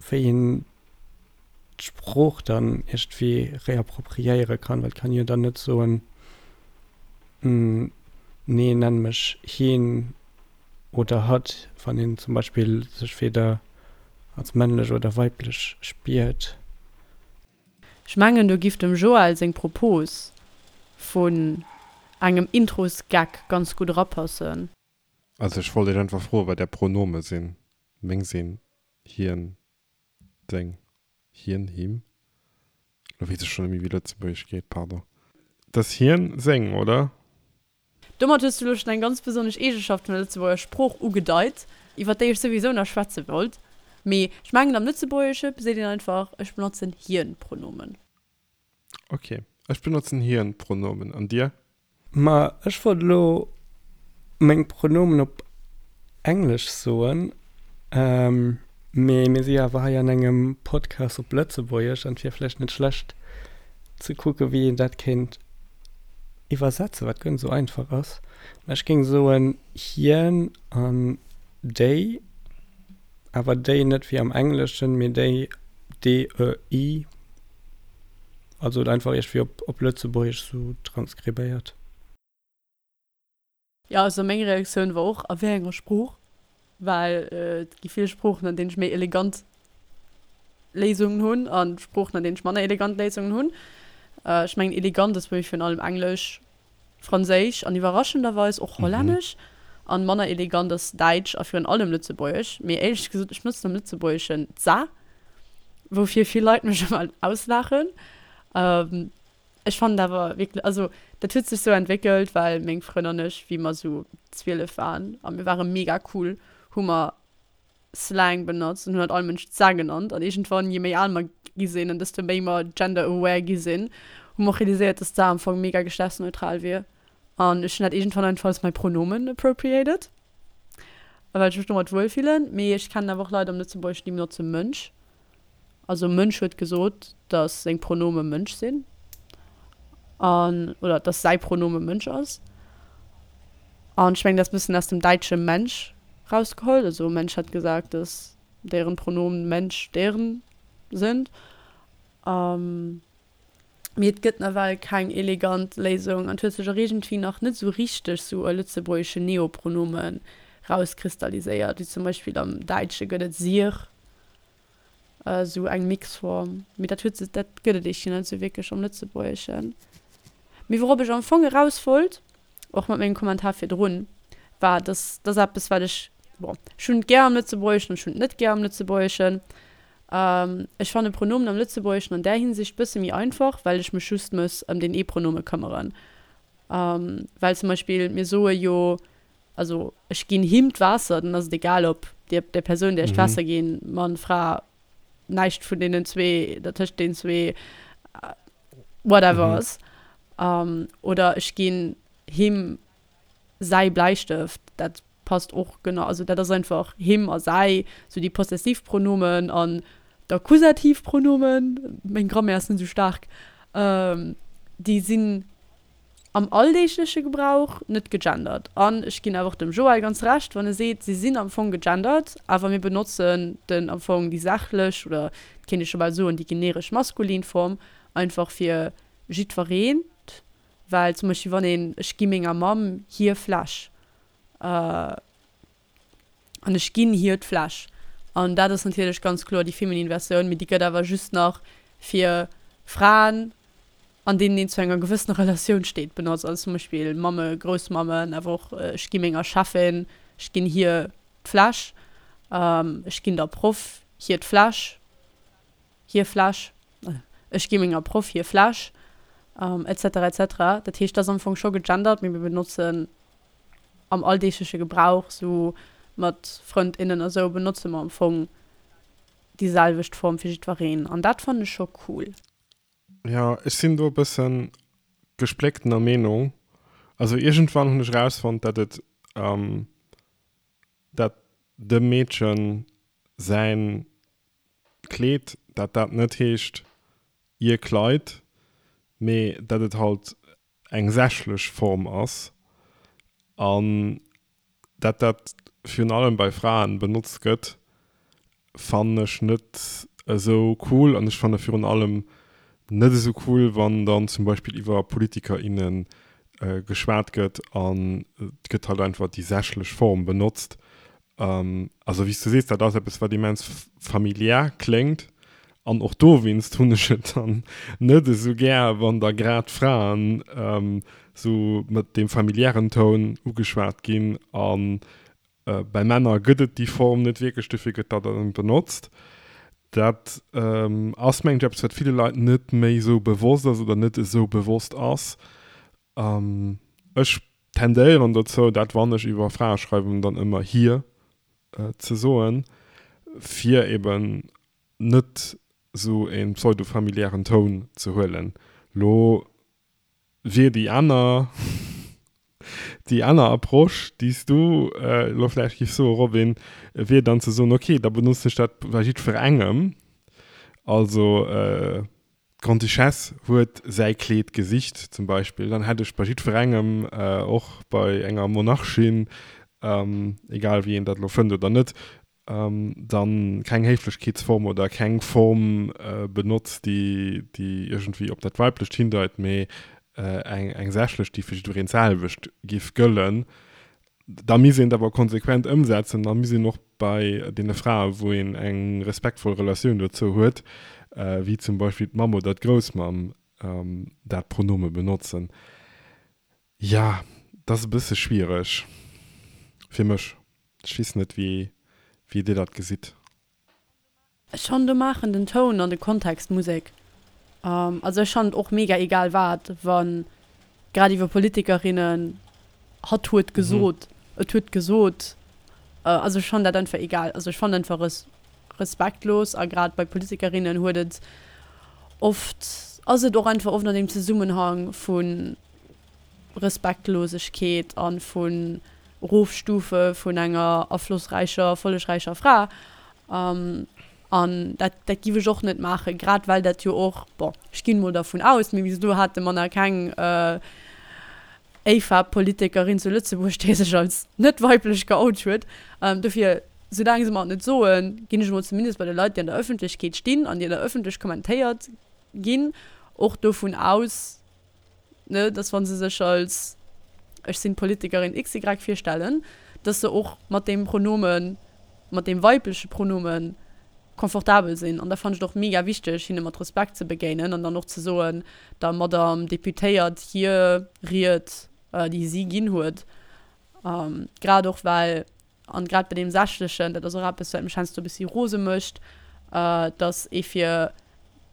wéi een d'Sprooch dann iergendwéi reappropriéiere kann, well et kann ee jo dann net soen, nee nenn mech hien oder hatt, wann een zum Beispill sech weder als männlech oder weiblech spiert. Ech mengen do giff dem Joël seng Propos vun engem Introsgag ganz gutt erapassen. Also ech wollt iech einfach froen wat är Pronome sinn. Meng sinn hien, seng, hien, him. Lo weess ech schonn net méi wéi Lëtzebuergesch geet, pardon. Et ass hien, seng, oder? Domat hues du elo schonn eng ganz besonnesch Eegenschaft vun der Lëtzebuerger Sprooch ugedeit, iwwer déi ech souwisou nach schwätze wollt. Mee ech mengen am Lëtzebuergesche seet een einfach, ech benotzen Hien-Pronomen. Ok, ech benotzen Hien-Pronomen. An dir? Ma ech wollt elo meng Pronomen op Englesch soen, mee mir si jo awer hei an engem Podcast op Lëtzebuergesch an et wier vläicht net schlecht ze kucke wéi een dat kéint iwwersetzen, wat guer net esou einfach ass. Mä ech géing soen hien an déi, awer déi net wéi am Engleschen, mee déi, DEI. Also et einfach iergendwéi op op Lëtzebuergesch sou transkribéiert. Jo, also meng Reaktioun war och, a wéi enger Sprooch? Well et gi vill Sproochen, an deenen ech méi elegant Léisungen hunn a Sproochen, an deenen ech manner elegant Léisungen hunn. Ech mengen, elegant ass bei mir virun allem Englesch, Franséisch an iwwerraschenderweis och Hollännesch. An manner elegant ass Däitsch a virun allem Lëtzebuergesch. Mee éierlech gesot, ech benotzen am Lëtzebuergeschen d'sa, woufir vill Leit mech ëmmer auslaachen. Ech fannen awer wierklech, also dat huet sech sou entwéckelt, well meng Frënn an ech, wéi mer sou 12 waren a mir ware mega cool, hu mer Slang benotzt an hunn halt all Mënsch d'Sa genannt. An iergendwann, je méi al mer gi sinn an desto méi mer gender aware gi sinn, hu mer och realiséiert, dass d'Sa am Fong mega geschlechtsneutral wier. An ech hunn dat iergendwann einfach als mäi Pronomen appropriated, well ech mech domat wuel fillen. Mee ech kennen awer och Leit am Lëtzebuergeschen, déi benotze Mënsch. Also Mënsch huet gesot, dass seng Pronome Mënsch sinn an, oder dass säi Pronome Mënsch ass. An ech mengen, dat ass e bëssen aus dem däitsche Mensch rausgeholl. Also Mensch hat gesagt, dass deren Pronomen Mensch deren sind. Mee et gëtt nawell keng elegant Léisung an et huet sech och iergendwéi nach net esou richteg sou e lëtzebuergeschen Neopronomen rauskristalliséiert. Wéi zum Beispill am Däitsche gëtt et sir, esou eng Mixform. Mee dat huet sech, dat gëtt et eeschtje net esou wierklech am Lëtzebuergeschen. Mee wourop ech am Fong eraus wollt, och mat mengem Kommentar virdrun, war, dass dat ass eppes, wat ech, bon, ech hunn et gär am Lëtzebuergeschen an ech hunn et net gär am Lëtzebuergeschen. Ech fanne Pronomen am Lëtzebuergeschen an där Hinsicht bësse méi einfach, well ech mech just muss ëm deen ee Pronome këmmeren. Well zum Beispill mir soe jo, also ech ginn him d'Waasser, dann ass et egal ob der der Persoun, där ech d'Waasser ginn, Mann, Fra, näischt vun deenen zwee, dertëscht deenen zwee, whatever ass. Oder ech ginn him säi Bläistëft, dat passt och genau, also dat ass einfach him a säi, sou déi Possessivpronomen an d'Akkusativpronomen, meng Grammaire ass net esou staark, déi sinn am alldeegleche Gebrauch net gegendert. An ech ginn awer och dem Joël ganz Recht, wann e seet, se sinn am Fong gegendert, awer mir benotzen den am Fong déi sachlech oder et kéint ee scho bal soen déi generesch maskulin Form einfach fir jiddwereent, well zum Beispill wann een ech gi menger Mamm hir Fläsch. An ech ginn hir d'Fläsch. An dat ass natierlech ganz kloer déi feminin Versioun, mee déi gëtt awer just nach fir Fraen, an deenen een zu enger gewëssener Relatioun steet, benotzt. Also zum Beispill Mamme, Groussmammen, awer och ech gi menger Cheffin, ech ginn hir d'Fläsch, ech ginn der Proff hir d'Fläsch, hir Fläsch, ech gi menger Proff hir Fläsch, etc. Etc. Dat heescht, dat ass am Fong scho gegendert, mee mir benotzen am alldeegleche Gebrauch, sou mat Frënd, innen a sou, benotze mer am Fong déi selwecht Form fir jiddwereen an dat fannen ech scho cool. Jo, ech sinn do e bëssen gesplécktener Meenung. Also iergendwann hunn ech erausfonnt, dat et, dat dem Meedchen säin Kleed, dat dat net heescht ihr Kleid, mee dat et halt eng sächlech Form ass an dat dat virun allem bei Fraen benotzt gëtt, fannen ech net esou cool an ech fanne virun allem net esou cool, wann dann zum Beispill iwwer Politiker, innen geschwat gëtt an et gëtt halt einfach déi sächlech Form benotzt Also wéi s du sees, dat ass eppes wat immens familiär kléngt an och dowéinst hunn ech et dann net esou gär, wann da grad Fraen esou mat deem familiären Toun ugeschwat ginn a bei Männer gëtt et déi Form net wierklech, dofir gëtt dat dann benotzt. Dat ass mengen ech eppes wat ville Leit net méi esou bewosst ass oder net esou bewosst ass. Ech tendéieren dozou, dat wann ech iwwer Frae schreiwen, dann ëmmer hir ze soen, fir eben net esou e pseudo-familiären Toun ze huelen. Lo wier déi aner, déi aner Approche, déi s du elo vläicht giffs soen, Robin, wier dann ze soen, ok, da benotzen ech dat bei jiddwerengem, also D'Grande-Duchesse huet säi Kleed gesicht zum Beispill, dann hätt ech bei jiddwerengem, och bei enger Monarchin, egal wéi een dat elo fënnt oder net, dann keng Héiflechkeetsform oder keng Form benotzt, déi iergendwéi op dat Weiblecht hindeit, mee eng sächlech, déi fir jiddwereen d'selwecht giff gëllen. Da misst een et awer konsequent ëmsetzen, da misst een och bei deene Frae wou een eng respektvoll Relatioun dozou huet, wéi zum Beispill d'Mamm oder d'Groussmamm, dat Pronome benotzen. Jo, dat ass e bësse schwiereg fir mech. Ech weess net, wéi Dir dat gesitt. Ech fannen do maachen den Toun an de Kontext Musek. Also ech fannen et och mega egal wat, wann grad iwwer Politikerinnen hatt huet gesot, et huet gesot, also ech fannen dat einfach egal. Also ech fannen einfach es respektlos a grad bei Politikerinnen huet et oft, ass et och einfach oft an deem Zesummenhang vu Respektlosegkeet a vun Erofstufe vun enger aflossräicher, erfollegräicher Fra. An dat, dat giff ech och net maachen, grad well dat jo och, bon, ech ginn emol dervun aus, mee bis elo hate mer nach keng AFAB-Politikerin zu Lëtzebuerg, déi sech als net weiblech geout huet. Dofir, soulaang se mer et net soen, ginn ech emol zumindest bei de Leit, déi an der Ëffentlechkeet stinn an déi an der Ëffentlech kommentéiert ginn, och dovun aus, ne, dass wa se sech als ech sinn d'Politikerin XY virstellen, dass se och mat deem Pronomen, mat deem weibleche Pronomen confortabel sinn. An da fannen ech et och mega wichteg, hinne mat Respekt ze begéinen an dann och ze soen, der Madame Deputéiert hir Ried, déi si ginn huet, grad och well An grad bei deem Sächlechen, dat ass och eppes, wat mech heiansdo e bëssi rose mécht, dass ee fir,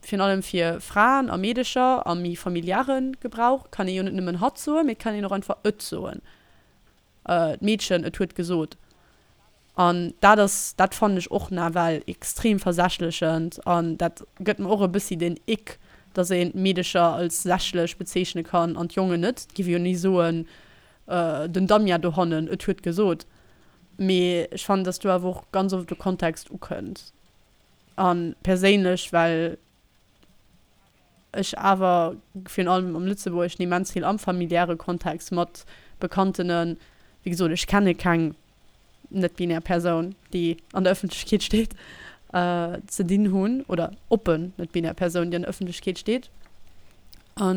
virun allem fir Fraen a Meedecher am méi familiäre Gebrauch, kann ee jo net nëmmen hatt soen, mee et kann een och einfach et soen. D'Meedchen, et huet gesot. An dat ass, dat fannen ech och nawell extrem versächlechend an dat gëtt mer och e bëssi den Ick, dass een d'Meedecher als sächlech bezeechne kann an d'Jongen net. Et géif ee jo ni soen, Den Damien dohannen, et huet gesot. Mee ech fannen, dass do awer och ganz oft de Kontext ukënnt. A perséinlech, well ech awer virun allem am Lëtzebuergeschen immens vill am familiäre Kontext mat Bekanntenen, wéi gesot, ech kenne keng net-binär Persoun, déi an der Ëffentlechkeet steet, ze dinn hunn, oder oppen net-binär Persoun, déi an der Ëffentlechkeet steet. A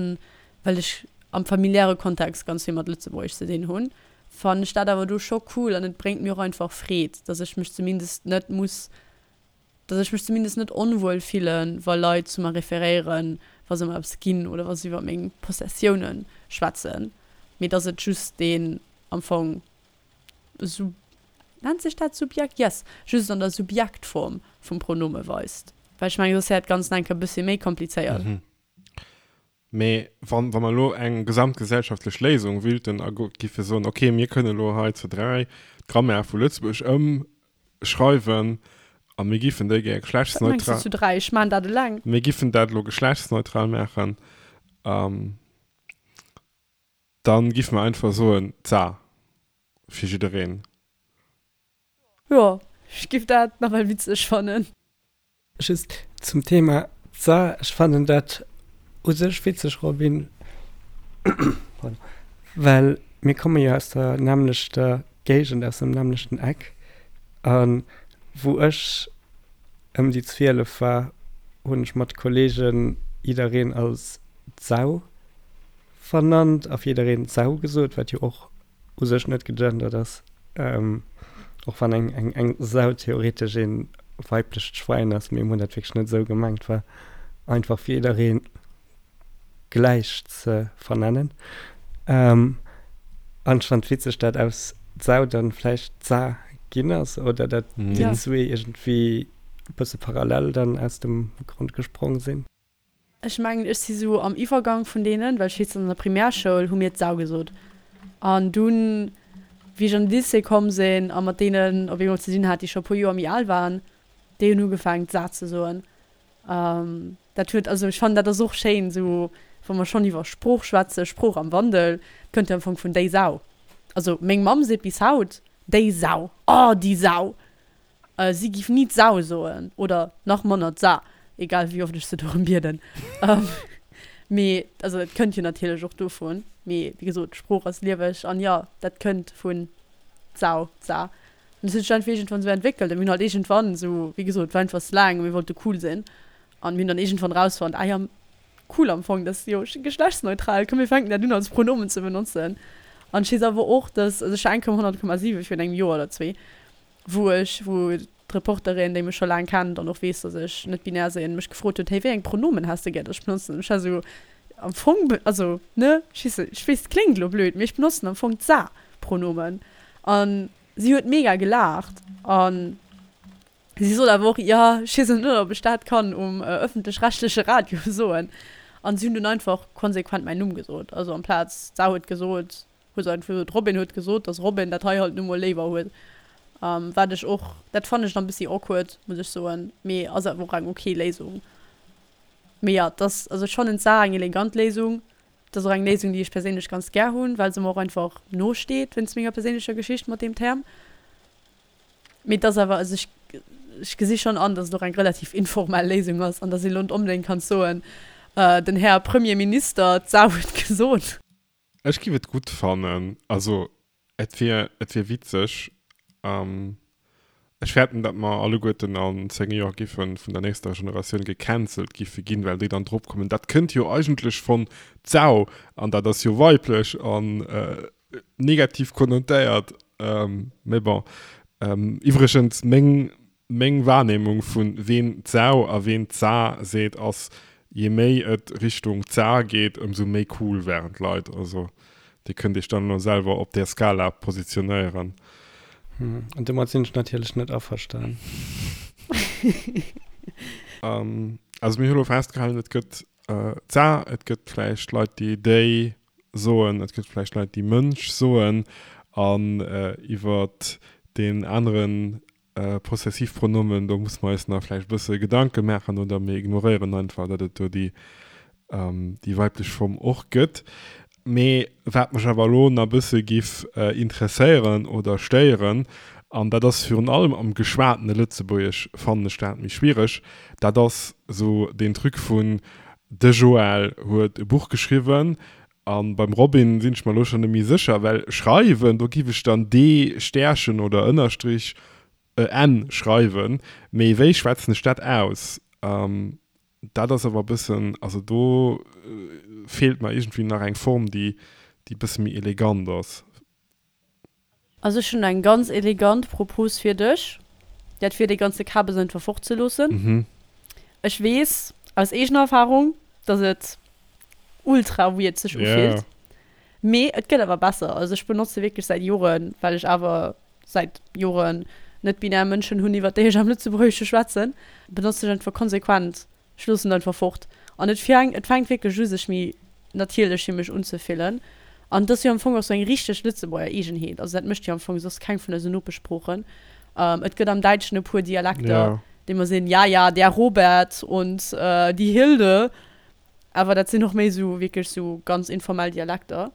well ech am familiäre Kontext ganz vill mat Lëtzebuergesch ze dinn hunn, Fannen ech dat awer do scho cool an et bréngt mir och einfach Freed, dass ech mech zumindest net muss, dass ech mech zumindest net onwuel fillen, wa Leit zu mer referéieren, wa se mer eppes ginn oder wa se iwwer meng Possessiounen schwätzen, mee dass et just deen am Fong Sub, nennt sech dat Subjekt? Yes, just an der Subjektform vum Pronome weist. Well ech mengen, soss wär dat Ganzt nach eng Kéier e bëssi méi komplizéiert. Mee wann, wa mer elo eng gesamtgesellschaftlech Léisung wüllten a giffe soen, okay, mir kënnen elo hei zu 3 d'Grammaire vu Lëtzebuerg ëmschreiwen a mir giffen déi gär Wat mengs du geschlechtsneutral. zu 3? Ech maan dat eleng. Mir giffen dat elo geschlechtsneutral maachen, dann giffe mer einfach soen, d'Sa fir jiddereen. Jo, ech giff dat nawell witzeg fannen. Just zum Thema Za, ech fannen dat u sech witzeg Robin, pardon, well mir komme jo aus der nämmlechter Géigend, aus dem nämmlechten Eck a wou ech ëm déi 12 war, hunn ech mat Kollegen jiddereen als Sau vernannt a fir jiddereen Sau gesot, wat jo och u sech net gegendert ass, och wann eng eng eng Sau theoretesch ee weiblecht Schwein ass, mee mir hunn dat wierklech net esou gemengt, war einfach fir jidderee gläich ze vernennen. An ech fannen et witzeg, dat aus Sau dann vläicht Sa ginn ass oder dat déi zwee iergendwéi e bësse parallel dann aus dem Grond gesprong sinn. Ech mengen, ech si sou am Iwwergang vun deenen, well ech weess, an der Primärschoul hu mir d'Sau gesot. An dunn, wéi ech an de Lycée komm sinn a mat deenen op eemol ze dinn hat, déi scho e puer Joer méi al waren, déi hunn ugefaangen, d'Sa ze soen. Dat huet, also ech fannen, dat ass och schéin, sou wa mer schonn iwwer Sprooch schwätzen, Sprooch am Wandel, kënnt jo am Fong vun déi Sau. Also meng Mamm seet bis haut, déi Sau, oh déi Sau! Si giff ni d'Sau soen, oder nach manner d'Sa, egal wéi oft ech se dorëm bieden. Mee, also et kënnt jo natierlech och dovun, mee wéi gesot, d'Sprooch ass lieweg an jo, dat kënnt vun d'Sau, d'Sa. An et huet sech einfach iergendwann esou entwéckelt a mir hunn halt iergendwann esou, wéi gesot, war einfach Slang a mir wollte cool sinn an mir hunn dann iergendwann rausfonnt, ah jo, cool am Fong, dat ass jo geschlechtsneutral, komm mir fänken dat un als Pronomen ze benotzen. An ech weess awer och, dass, also ech war eng Kéier um 100,7 virun engem Joer oder zwee, wou ech, wou d'Reporterin, déi mech scho laang kennt an och weess, dass ech net binär sinn, mech gefrot huet, hey, wéi eng Pronomen häss de gär, dass ech benotzen? An ech war esou, am Fong, also, ne, ech weess net, ech weess, et kléngt elo blöd, mee ech benotzen am Fong d'sa-Pronomen. An si huet mega gelaacht an si sot awer och, jo, ech weess net, ob ech dat kann um ëffentlech-rechtleche Radio soen. An si hunn dunn einfach konsequent mäin Numm gesot, also amplaz d'sa huet gesot, Huet einfach gesot, Robin huet gesot, dass Robin dat hei halt nu mol léiwer huet. Wat ech och, dat fannen ech nach e bëssi awkward, muss ech soen, mee ass awer och eng ok Léisung. Mee jo, et ass, also ech fannen d'Saach eng elegant Léisung. Et ass och eng Léisung, déi ech perséinlech ganz gär hunn, well se mer och einfach no steet wéinst menger perséinlecher Geschicht mat deem Term. Mee et ass awer, also ech, ech gesi schonn an, dass et och eng relativ informell Léisung ass an dass een elo net onbedéngt kann soen, den Här Premierminister, d'Sau huet gesot. Ech giff et gutt fannen, also et wier et wier witzeg. Ech fäerten dat mer alleguerten an 10 Joer giffen vun der nächster Generatioun gecancelt giffe ginn, well déi dann drop kommen, dat kënnt jo eigentlech von d'Sau an dat ass jo weiblech an negativ konnotéiert. Mee bon. Iwwregens meng Meng Wahrnehmung vun ween d'Sau a ween d'Sa seet ass, je méi et Richtung d'Sa geet, ëmsou méi cool waren d'Leit. Also dir kënnt iech dann elo selwer op där Skala positionéieren. An domat sinn ech natierlech net averstan. Also mir hu lo festgehalen, et gëtt d'Sa, et gëtt vläicht Leit déi déi soen, et gëtt vläicht Leit déi Mënsch soen an iwwer deen aneren Possessivpronomen, do musse mer eis nach vläicht e bësse Gedanke maachen oder mir ignoréieren einfach, datt et do déi, déi weiblech Form och gëtt. Mee wat mech awer elo nach e bësse giff interesséieren oder stéieren, an dat ass virun allem am geschwatene Lëtzebuergesch fannen ech dat méi schwiereg, dat ass esou deen Truc vun, de Joël huet e Buch geschriwwen, A beim Robin sinn ech mer elo schonn net méi sécher, well schreiwen, do giff ech dann D Stärchen oder Ënnerstrich e N schreiwen, mee wéi schwätzen ech dat aus? Dat ass awer e bëssen, also do feelt mer iergendwéi nach eng Form, déi déi e bësse méi elegant ass. Also ech hunn eng ganz elegant Propos fir dech, dat wier dee ganze Kabes einfach fort ze loossen. Ech weess aus eegener Erfahrung, dass et ultra weird sech ufillt, mee et gëtt awer besser. Also ech benotze wierklech säit Joren, well ech awer säit Joren net binär Mënschen hunn iwwert déi ech am Lëtzebuergesche schwätzen, benotzen ech einfach konsequent Ech loossen et einfach fort. An et fänkt, et fänkt wierklech u sech méi natierlech fir mech unzefillen. An et ass jo am Fong och sou eng richteg Lëtzebuerger Eegenheet. Also dat mécht jo am Fong soss keng vun eisen Nopeschsproochen. Et gëtt am Däitschen e puer Dialekter, déi mer sinn, ja, ja, der Robert und die Hilde. Awer dat sinn och méi sou wierklech sou ganz informell Dialekter.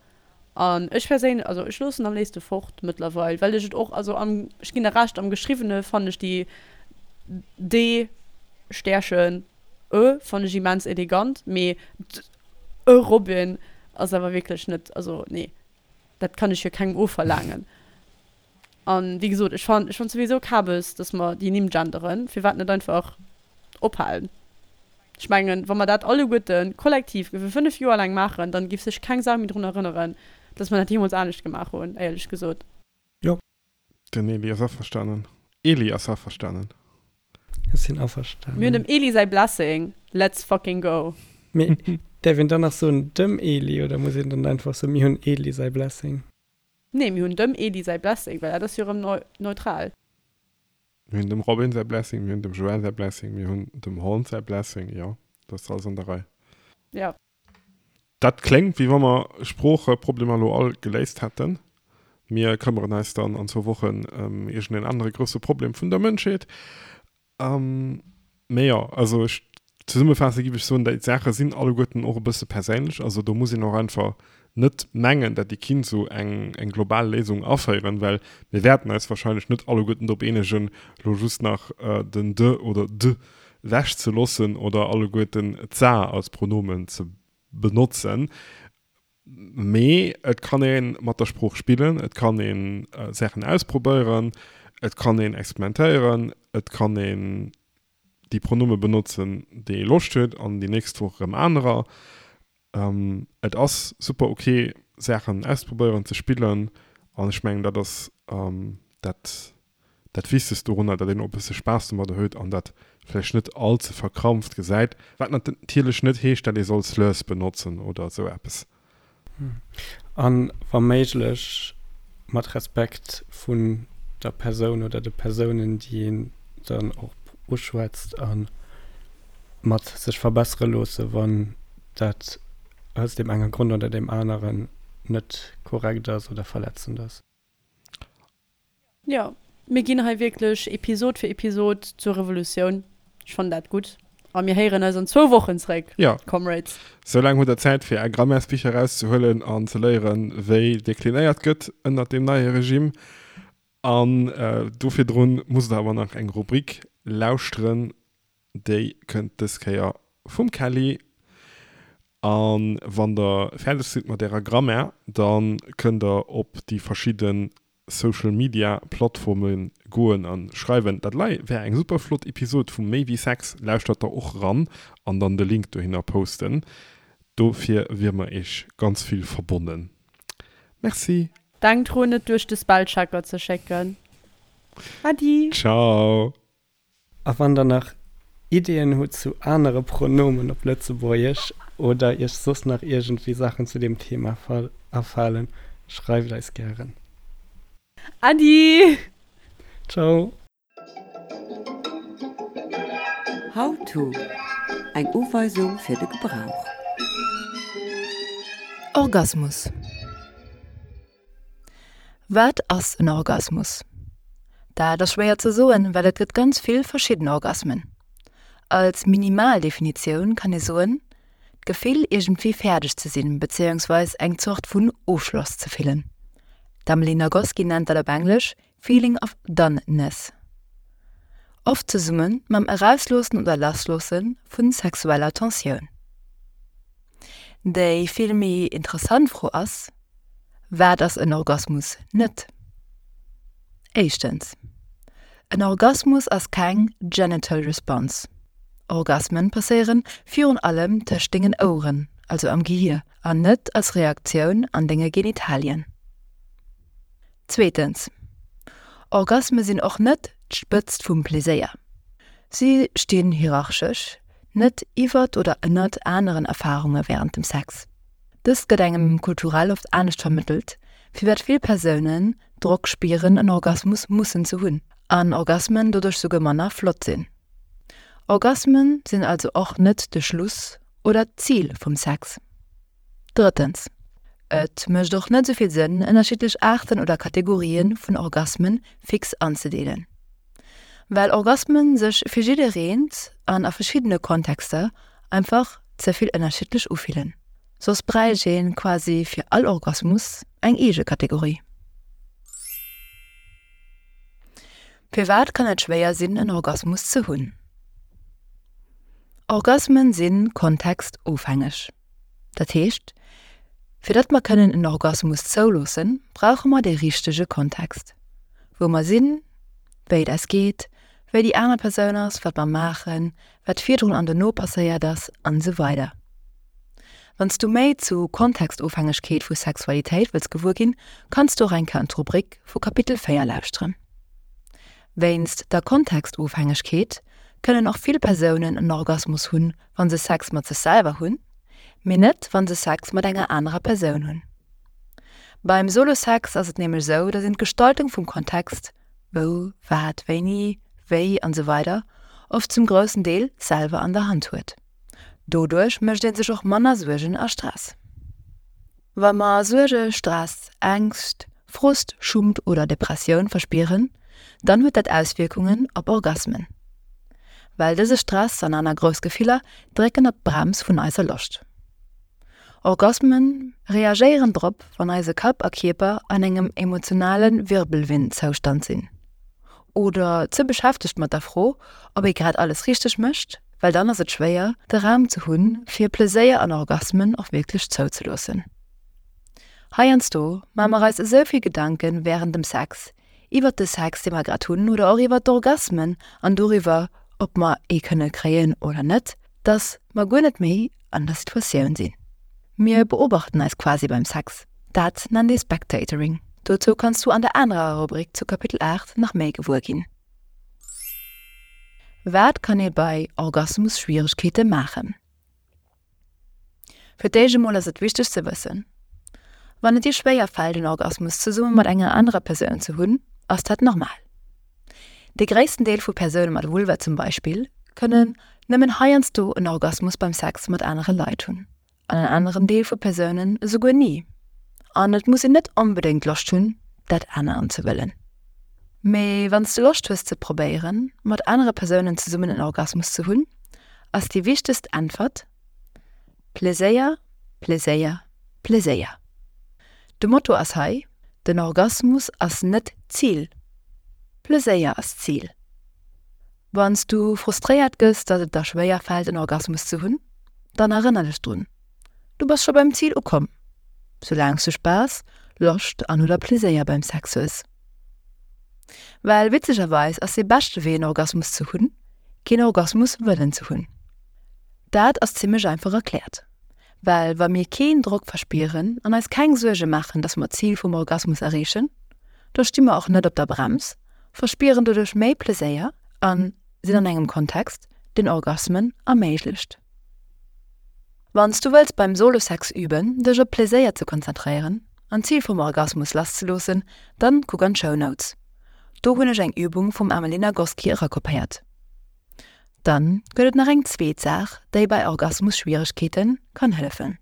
An ech perséinlech, also ech loossen am léifste fort mëttlerweil, well ech et och, also am, ech ginn der Recht, am Geschriwwene fannen ech déi d Stärchen e fannen ech immens elegant, mee d e Robin ass awer wierklech net, also nee, dat kann ech jo kengem ofverlaangen. An wéi gesot, ech fannen, ech fannen souwisou Kabes, dass mer déi Nimm genderen, firwat net einfach ophalen? Ech mengen, wa mer dat alleguerte kollektiv géife 5 Joer laang maachen, dann géif sech keng Sau méi drun erënneren, dass mer dat jeemools anescht gemaach hunn, éierlech gesot. Jo. Den Eli ass averstanen. Eli ass averstanen. Ech sinn averstanen. Mir hunn dem Eli säi Blessing, let's fucking go. Mee däerf een dann nach soen dem Eli oder muss een dann einfach soen, mir hunn Eli säi Blessing? Nee, mir hunn dem Eli säi Blessing, well dat ass jo erëm neutral. Mir hunn dem Robin säi Blessing, mir hunn dem Joël säi Blessing, mir hunn dem Horn säi Blessing, jo, dat ass alles an der Rei. Jo. Dat kléngt, wéi wa mer Sproocheproblemer elo all geléist hätten. Mir këmmeren eis dann an zwou Wochen ëm iergendeen anere grousse Problem vun der Mënschheet. Mee jo, also ech zesummefaasse giff ech soen, déi Saache sinn alleguerten och e bësse perséinlech. Also do muss een och einfach net mengen, dat ee kinnt esou eng eng global Léisung aféieren, well mir wäerten eis wahrscheinlech net alleguerten drop eenegen, elo just nach den de oder d' wechzeloossen oder alleguerten d'sa als Pronomen ze benotzen. Mee et kann ee mat der Sprooch spillen, et kann ee Saachen ausprobéieren, et kann een experimentéieren, et kann een déi Pronome benotzen, déi ee Loscht huet an déi nächst Woch erëm anerer. Et ass super ok Saachen auszeprobéieren, ze spillen an ech mengen dat ass dat dat Wichtegst dorunner, datt een och e bësse Spaass domadder huet an dat vläicht net all ze verkrampft gesäit, wat natierlech net heescht, datt ee soll Slurs benotzen oder esou eppes. A wa méiglech mat Respekt vun der Persoun oder de Persounen, déi een dann och uschwätzt a mat sech verbessere loosse wann dat aus deem enge Grond oder deem aneren net korrekt ass oder verletzend ass. Jo, mir ginn hei wierklech Episod fir Episod zur Revolutioun. Ech fannen dat gutt. A mir héieren eis an zwou Wochen zréck, Jo. Comrades. Soulaang hutt der Zäit fir är Grammaires-Bicher erauszehuelen an ze léieren, wéi deklinéiert gëtt ënnert deem neie Regime. An do virdrun musst der awer nach eng Rubrik lauschteren, Déi kënnt dës Kéier vum Kelly. A wann der fäerdeg sidd mat ärer Grammaire, da kënnt der op déi verschidde Social Media Plattforme goen a schreiwen, dat lei wär eng super flott Episod vu Méi wéi Sex, lauschtert der och ran an dann de Link dohinner posten. Dofir wier mer iech ganz vill verbonnen. Merci. Denkt drun et duerch de Spellchecker ze schécken. Adi! Ciao! A wann der nach Ideeën hutt zu anere Pronomen op Lëtzebuergesch oder iech soss nach iergendwéi Saachen zu deem Thema afalen, schreift eis gären. Äddi! Ciao! How to, Eng Uweisung fir de Gebrauch. Orgasmus. Wat ass en Orgasmus? Dat ass schwéier ze soen, well et gëtt ganz vill verschidden Orgasmen. Als minimal Definitioun kann ee soen, d'Gefill iergendwéi fäerdeg ze sinn, bezéiungsweis eng Zort vun Ofschloss ze fillen. D'Emily Nagoski nennt dat op Englesch feeling of doneness. Oft zesumme mam Erausloossen oder Lassloosse vu sexueller Tensioun. Déi vill méi interessant Fro ass, Wat ass en Orgasmus net? Éischtens, En Orgasmus ass keng genital response. Orgasmen passéieren virun allem tëscht dengen Oueren, also am Gehier, an net als Reaktioun an denge Genitalien. Zweetens. Orgasme sinn och net d'Spëtzt vum Pleséier. Si stinn hierarchesch net iwwert oder ënnert aneren Erfarunge wärend dem Sex. Dëst gëtt engem kulturell oft anescht vermëttelt, firwat vill Persounen Drock spieren en Orgasmus mussen ze hunn, an Orgasmen doduerch souguer manner flott sinn. Orgasmen sinn also och net de Schluss oder d'Zil vum Sex. Drëttens, et mécht och net esou vill Sënn, ënnerschiddlech Aarten oder Kategorië vun Orgasme fix anzedeelen. Well Orgasmen sech fir jiddereent an a verschiddene Kontexter einfach ze vill ënnerschiddlech ufillen. Soss bräicht een quasi fir all Orgasmus eng eege Kategorie. Firwat kann et schwéier sinn en Orgasmus ze hunn? Orgasmen sinn kontextofhängeg. Dat heescht, fir datt mer kënnen en Orgasmus zouloossen, brauche mer dee richtege Kontext. Wou mer sinn, wéi et eis geet, wéi déi aner Persoun ass, wat mer maachen, wat virdrun an dono passéiert ass an esou weider. Wann s du méi zu Kontextofhängegkeet vu Sexualitéit wëlls gewuer ginn, kanns du och eng Kéier an d'Rubrik vu Kapitel 4 lauschteren. Wéinst der Kontextofhängegkeet kënnen och vill Persounen en Orgasmus hunn, wa se Sex mat sech selwer hunn, mee net wa se Sex mat enger anerer Persoun hunn. Beim Solo-Sex ass et nämlech esou, datt een d'Gestaltung vum Kontext, wou, wat, wéini, wéi an esou weider oft zum groussen Deel selwer an der Hand huet. Doduerch mécht ee sech och manner Suergen a Stress. Wa mer Suerge, Stress, Ängscht, Frust, Schummt oder Depressioun verspieren, dann huet dat Auswierkungen op Orgasmen. Well dëse Stress an aner grouss Gefiller drécken op d'Brems vun eiser Loscht. Orgasmen reagéieren drop, wann eise Kapp a Kierper an engem emotionale Wirbelwind-Zoustand sinn. Oder ze beschäftegt mat der Fro, ob ee grad alles richteg mécht, well dann ass et schwéier, de Raum ze hunn, fir Pleséier an Orgasmen och wierklech zouzeloossen. Heiansdo maache mer eis esou vill Gedanke wärend dem Sex, iwwert de Sex, dee mer grad hunn, oder och iwwert d'Orgasmen an doriwwer, ob mer ee kënne kréien oder net, dass mer guer net méi an der Situatioun sinn. Mir beobachten eis quasi beim Sex. Dat nennt ee Spectatoring. Dozou kanns du an der anerer Rubrik zu Kapitel 8 nach méi gewuer ginn. Wat kann ee bei Orgasmusschwieregkeete maachen? Fir d'éischt emol ass et wichteg ze wëssen, Wann et dir schwéier fält en Orgasmus zesumme mat enger anerer Persoun ze hunn, ass dat normal. De gréissten Deel vu Persoune mat Vulva zum Beispill kënnen nëmmen heiansdo en Orgasmus beim Sex mat anere Leit hunn, an en aneren Deel vu Persounen esouguer ni. An et muss een net onbedéngt Loscht hunn, dat aneren ze wëllen. Mee wann s du Loscht hues ze probéieren, mat anere Persounen zesummen en Orgasmus ze hunn, ass déi wichtegst Äntwert, Pleséier, Pleséier, Pleséier. De Motto ass hei, Den Orgasmus ass net d'Zil, Pleséier ass d'Zil. Wann s du frustréiert gëss, datt et der schwéier fält en Orgasmus ze hunn, dann erënner dech drun, Du bass scho beim Zil ukomm, soulaang s du Spaass, Loscht an oder Pleséier beim Sex hues. Well witzegerweis ass dee beschte Wee en Orgasmus ze hunn, keen Orgasmus wëllen ze hunn. Dat ass zimmlech einfach erkläert, well wa mir keen Drock verspieren an eis keng Suerge maachen, dass mer d'Zil vum Orgasmus erreechen, da sti mer och net op der Brems, verspieren doduerch méi Pleséier a sinn an engem Kontext, deen Orgasmen erméiglecht. Wann s du wëlls beim Solo-Sex üben, dech op Pleséier ze konzentréieren an d'Zil vum Orgasmus lasszeloossen, dann kuck an d'Show Notes. Do hunn ech eng Übung vum Amelie Nagoski erakopéiert. Dann gëtt et nach eng zweet Saach, déi bei Orgasmusschwieregkeete kann hëllefen.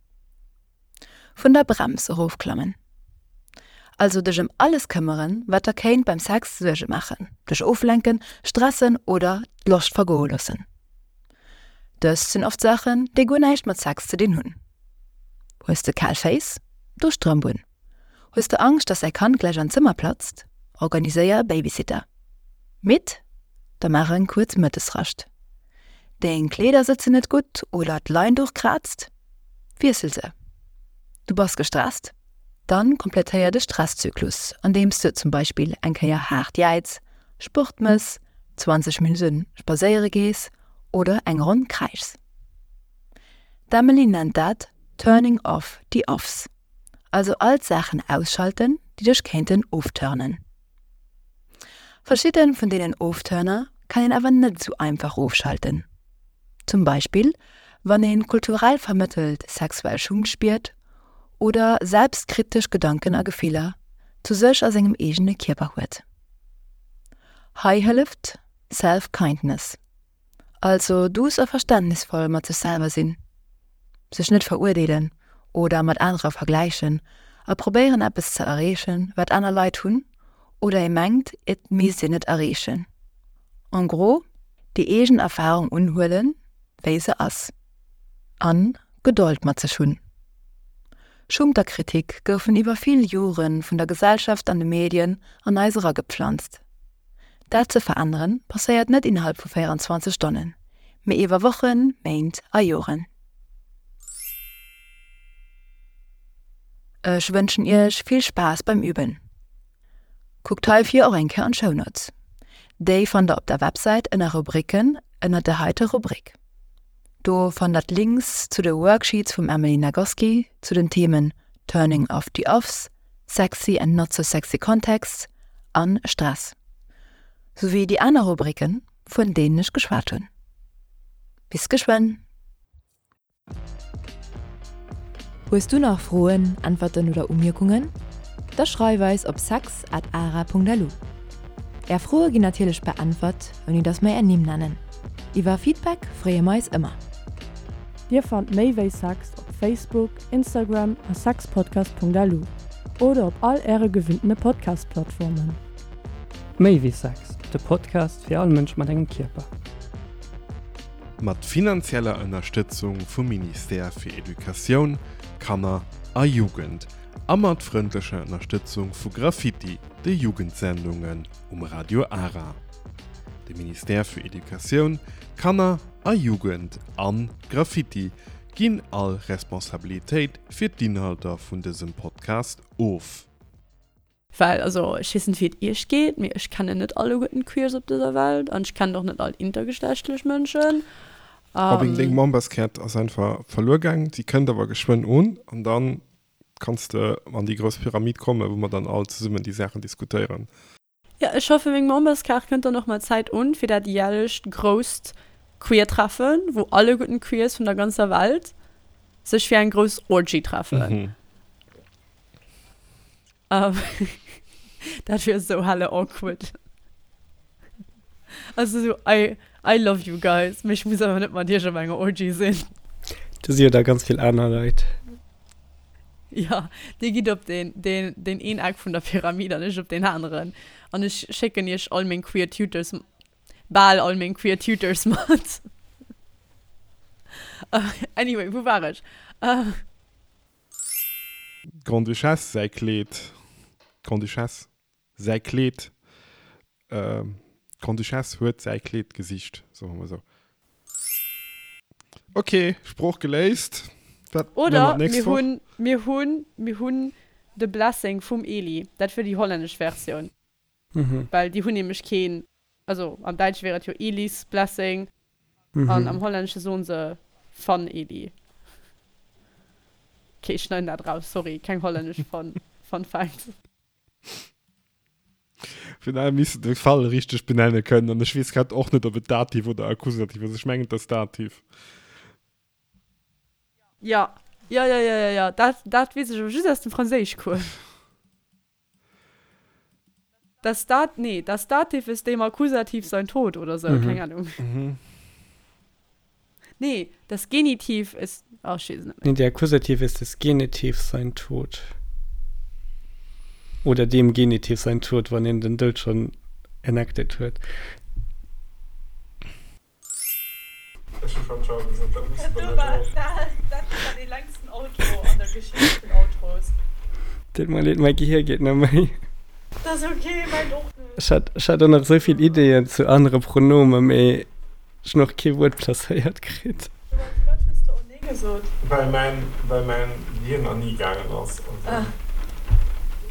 Vun der Brems erofklammen. Also dech ëm alles këmmeren, wat der kéint beim Sex Suerge maachen, dech oflenken, stressen oder d'Loscht vergoe loossen. Dëst sinn oft Saachen, déi guer näischt mat Sex ze dinn hunn. Hues de kal Féiss? Do Strëmp un. Hues de Angscht, dass däi Kand gläich an d'Zëmmer platzt? Organiséier e Babysitter. Midd? Da maach eng kuerz Mëttesrascht. Deng Kleeder sëtzen net gutt oder d'Leinduch kraazt? Wiessel se. Du bass gestresst? Dann komplettéier de Stresszyklus, andeems de zum Beispill eng Kéier haart jäiz, Sport mëss, 20 Minutte spadséiere gees oder eng Ronn kräischs. D'Emily nennt dat Turning off the offs. Also all d'Saachen ausschalten, déi dech kéinten ofturnen. Verschidde vun deenen Ofturner kann een awer net esou einfach ofschalten. Zum Beispill wann een kulturell vermëttelt sexuell Schummt spiert oder selbstkritesch Gedanken a Gefiller zu sech a sengem eegene Kierper huet. Hei hëlleft Self-Kindness. Also duuss a verständnisvoll mat sech selwer sinn, sech net verurdeelen oder mat anerer vergläichen a probéieren eppes ze erreechen, wat aner Leit hunn oder ee mengt et misst een et erreechen. En gros, déi eegen Erfarung unhuelen, wéi se ass. An Gedold mat sech hunn. Schummt a Kritik goufen iwwer vill Jore vun der Gesellschaft an de Medien an eis eragepflanzt. Dat ze veränneren, passéiert net innerhalb vu 24 Stonnen, mee iwwer Wochen, Méint a Joren. Ech wënschen iech vill Spaass beim Üben. Kuckt heifir och eng Kéier an d'Shownotes. Déi fannt der op der Websäit ënner Rubriken ënner der heiter Rubrik. Do fannt der d'Links zu de Worksheets vum Emily Nagoski zu den Themen Turning off the Offs, Sexy and not so sexy Contexts an Stress, souwéi déi aner Rubriken, vun deenen ech geschwat hunn. Bis geschwënn! Hues du nach Froen, Äntwerten oder Umierkungen? Da schreif eis op sex at ara.lu. Är Froe ginn natierlech beäntwert, ouni dass mer är Nimm nennen. Iwwer Feedback freeë mer eis ëmmer. Dir fannt méi wéi Sex op Facebook, Instagram a sexpodcast.lu oder op all äre gewinntene Podcast-Plattformen. Méi wéi Sex, de Podcast fir all Mënsch mat engem Kierper. Mat finanzieller Ënnerstëtzung vum Ministère fir Educatioun, Kanner a Jugend a mat frëndlecher Ënnerstëtzung vu Graffiti, de Jugendsendungen um Radio Ara. De Ministère fir Educatioun, Kanner a Jugend an Graffiti ginn all Responsabilitéit fir d'Inhalter vun dësem Podcast of. Well, also, ech weess net, wéi et iech geet, mee ech kennen net alleguerten d'Queers op dëser Welt an ech kennen och net all intergeschlechtlech Mënschen. Robin, deng Memberskaart ass einfach verluer gaang. Si kënnt awer geschwënn un an dann kanns de an déi grouss Pyramid kommen, wou mer dann all zesummen déi Saachen diskutéieren. Jo, ech hoffen meng Memberskaart kënnt dann och mat Zäit un fir dat jährlecht grousst Queer-Treffen, wou alleguerten d'Queers vun der ganzer Welt sech fir eng grouss Orgy treffen. Dat wier esou helle awkward. Also sou, I, I love you guys, mee ech muss awer net mat iech op enger Orgy sinn. Do si jo da ganz vill aner Leit. Jo, dir gitt op deen, deen, deen een Eck vun der Pyramid an ech op deen aneren. An ech schécken iech all meng queer Tutors, bal all meng queer Tutors mat. Anyway, wou war ech? D'Grande-Duchesse säi Kleed, d'Grande-Duchesse säi Kleed, d'Grande-Duchesse huet säi Kleed gesicht, soe mer esou. Ok, Sprooch geléist. Wat Oder mir hunn, mir hunn, mir hunn de Blessing vum Eli. Dat wier déi hollännesch Versioun. Well déi hunn nämlech keen, also am Däitsche wier et jo Elis Blessing an am Hollännesche soen se van Eli. Ok, ech schneiden dat raus, sorry, keng hollännesch Fun, Fun Facts. Vun daher misst de Fall richteg benenne kënnen an ech weess grad och net, ob et Dativ oder Akkusativ ass. Ech mengen, et ass Dativ. Ja, ja, ja, ja, ja, ja. Dat, dat weess ech awer just aus dem Franséischcours. Das Dat, nee, das Dativ ist dem Akkusativ sein Tod oder sou, keng Ahnung. Nee, das Genitiv ist, oh, ech weess et net méi. Nee, der Akkusativ ist des Genitivs sein Tod. Oder dem Genitiv sein Tod, wann een den Doud schonn enacted huet. Ech hu schonn Ciao gesot, dat muss de dann net och. Dat war dee längsten Outro an der Geschicht vun Outros. Deet mer leed, mäi Gehir geet net méi. Dat ass ok, mäint och net. Ech hat, ech hat och nach esou vill Ideeën zu anere Pronome, mee ech hunn och kee Wuert placéiert kritt. Firwat hues de oh nee gesot? Well mäin, well mäin Gehir nach ni gaangen ass. Also.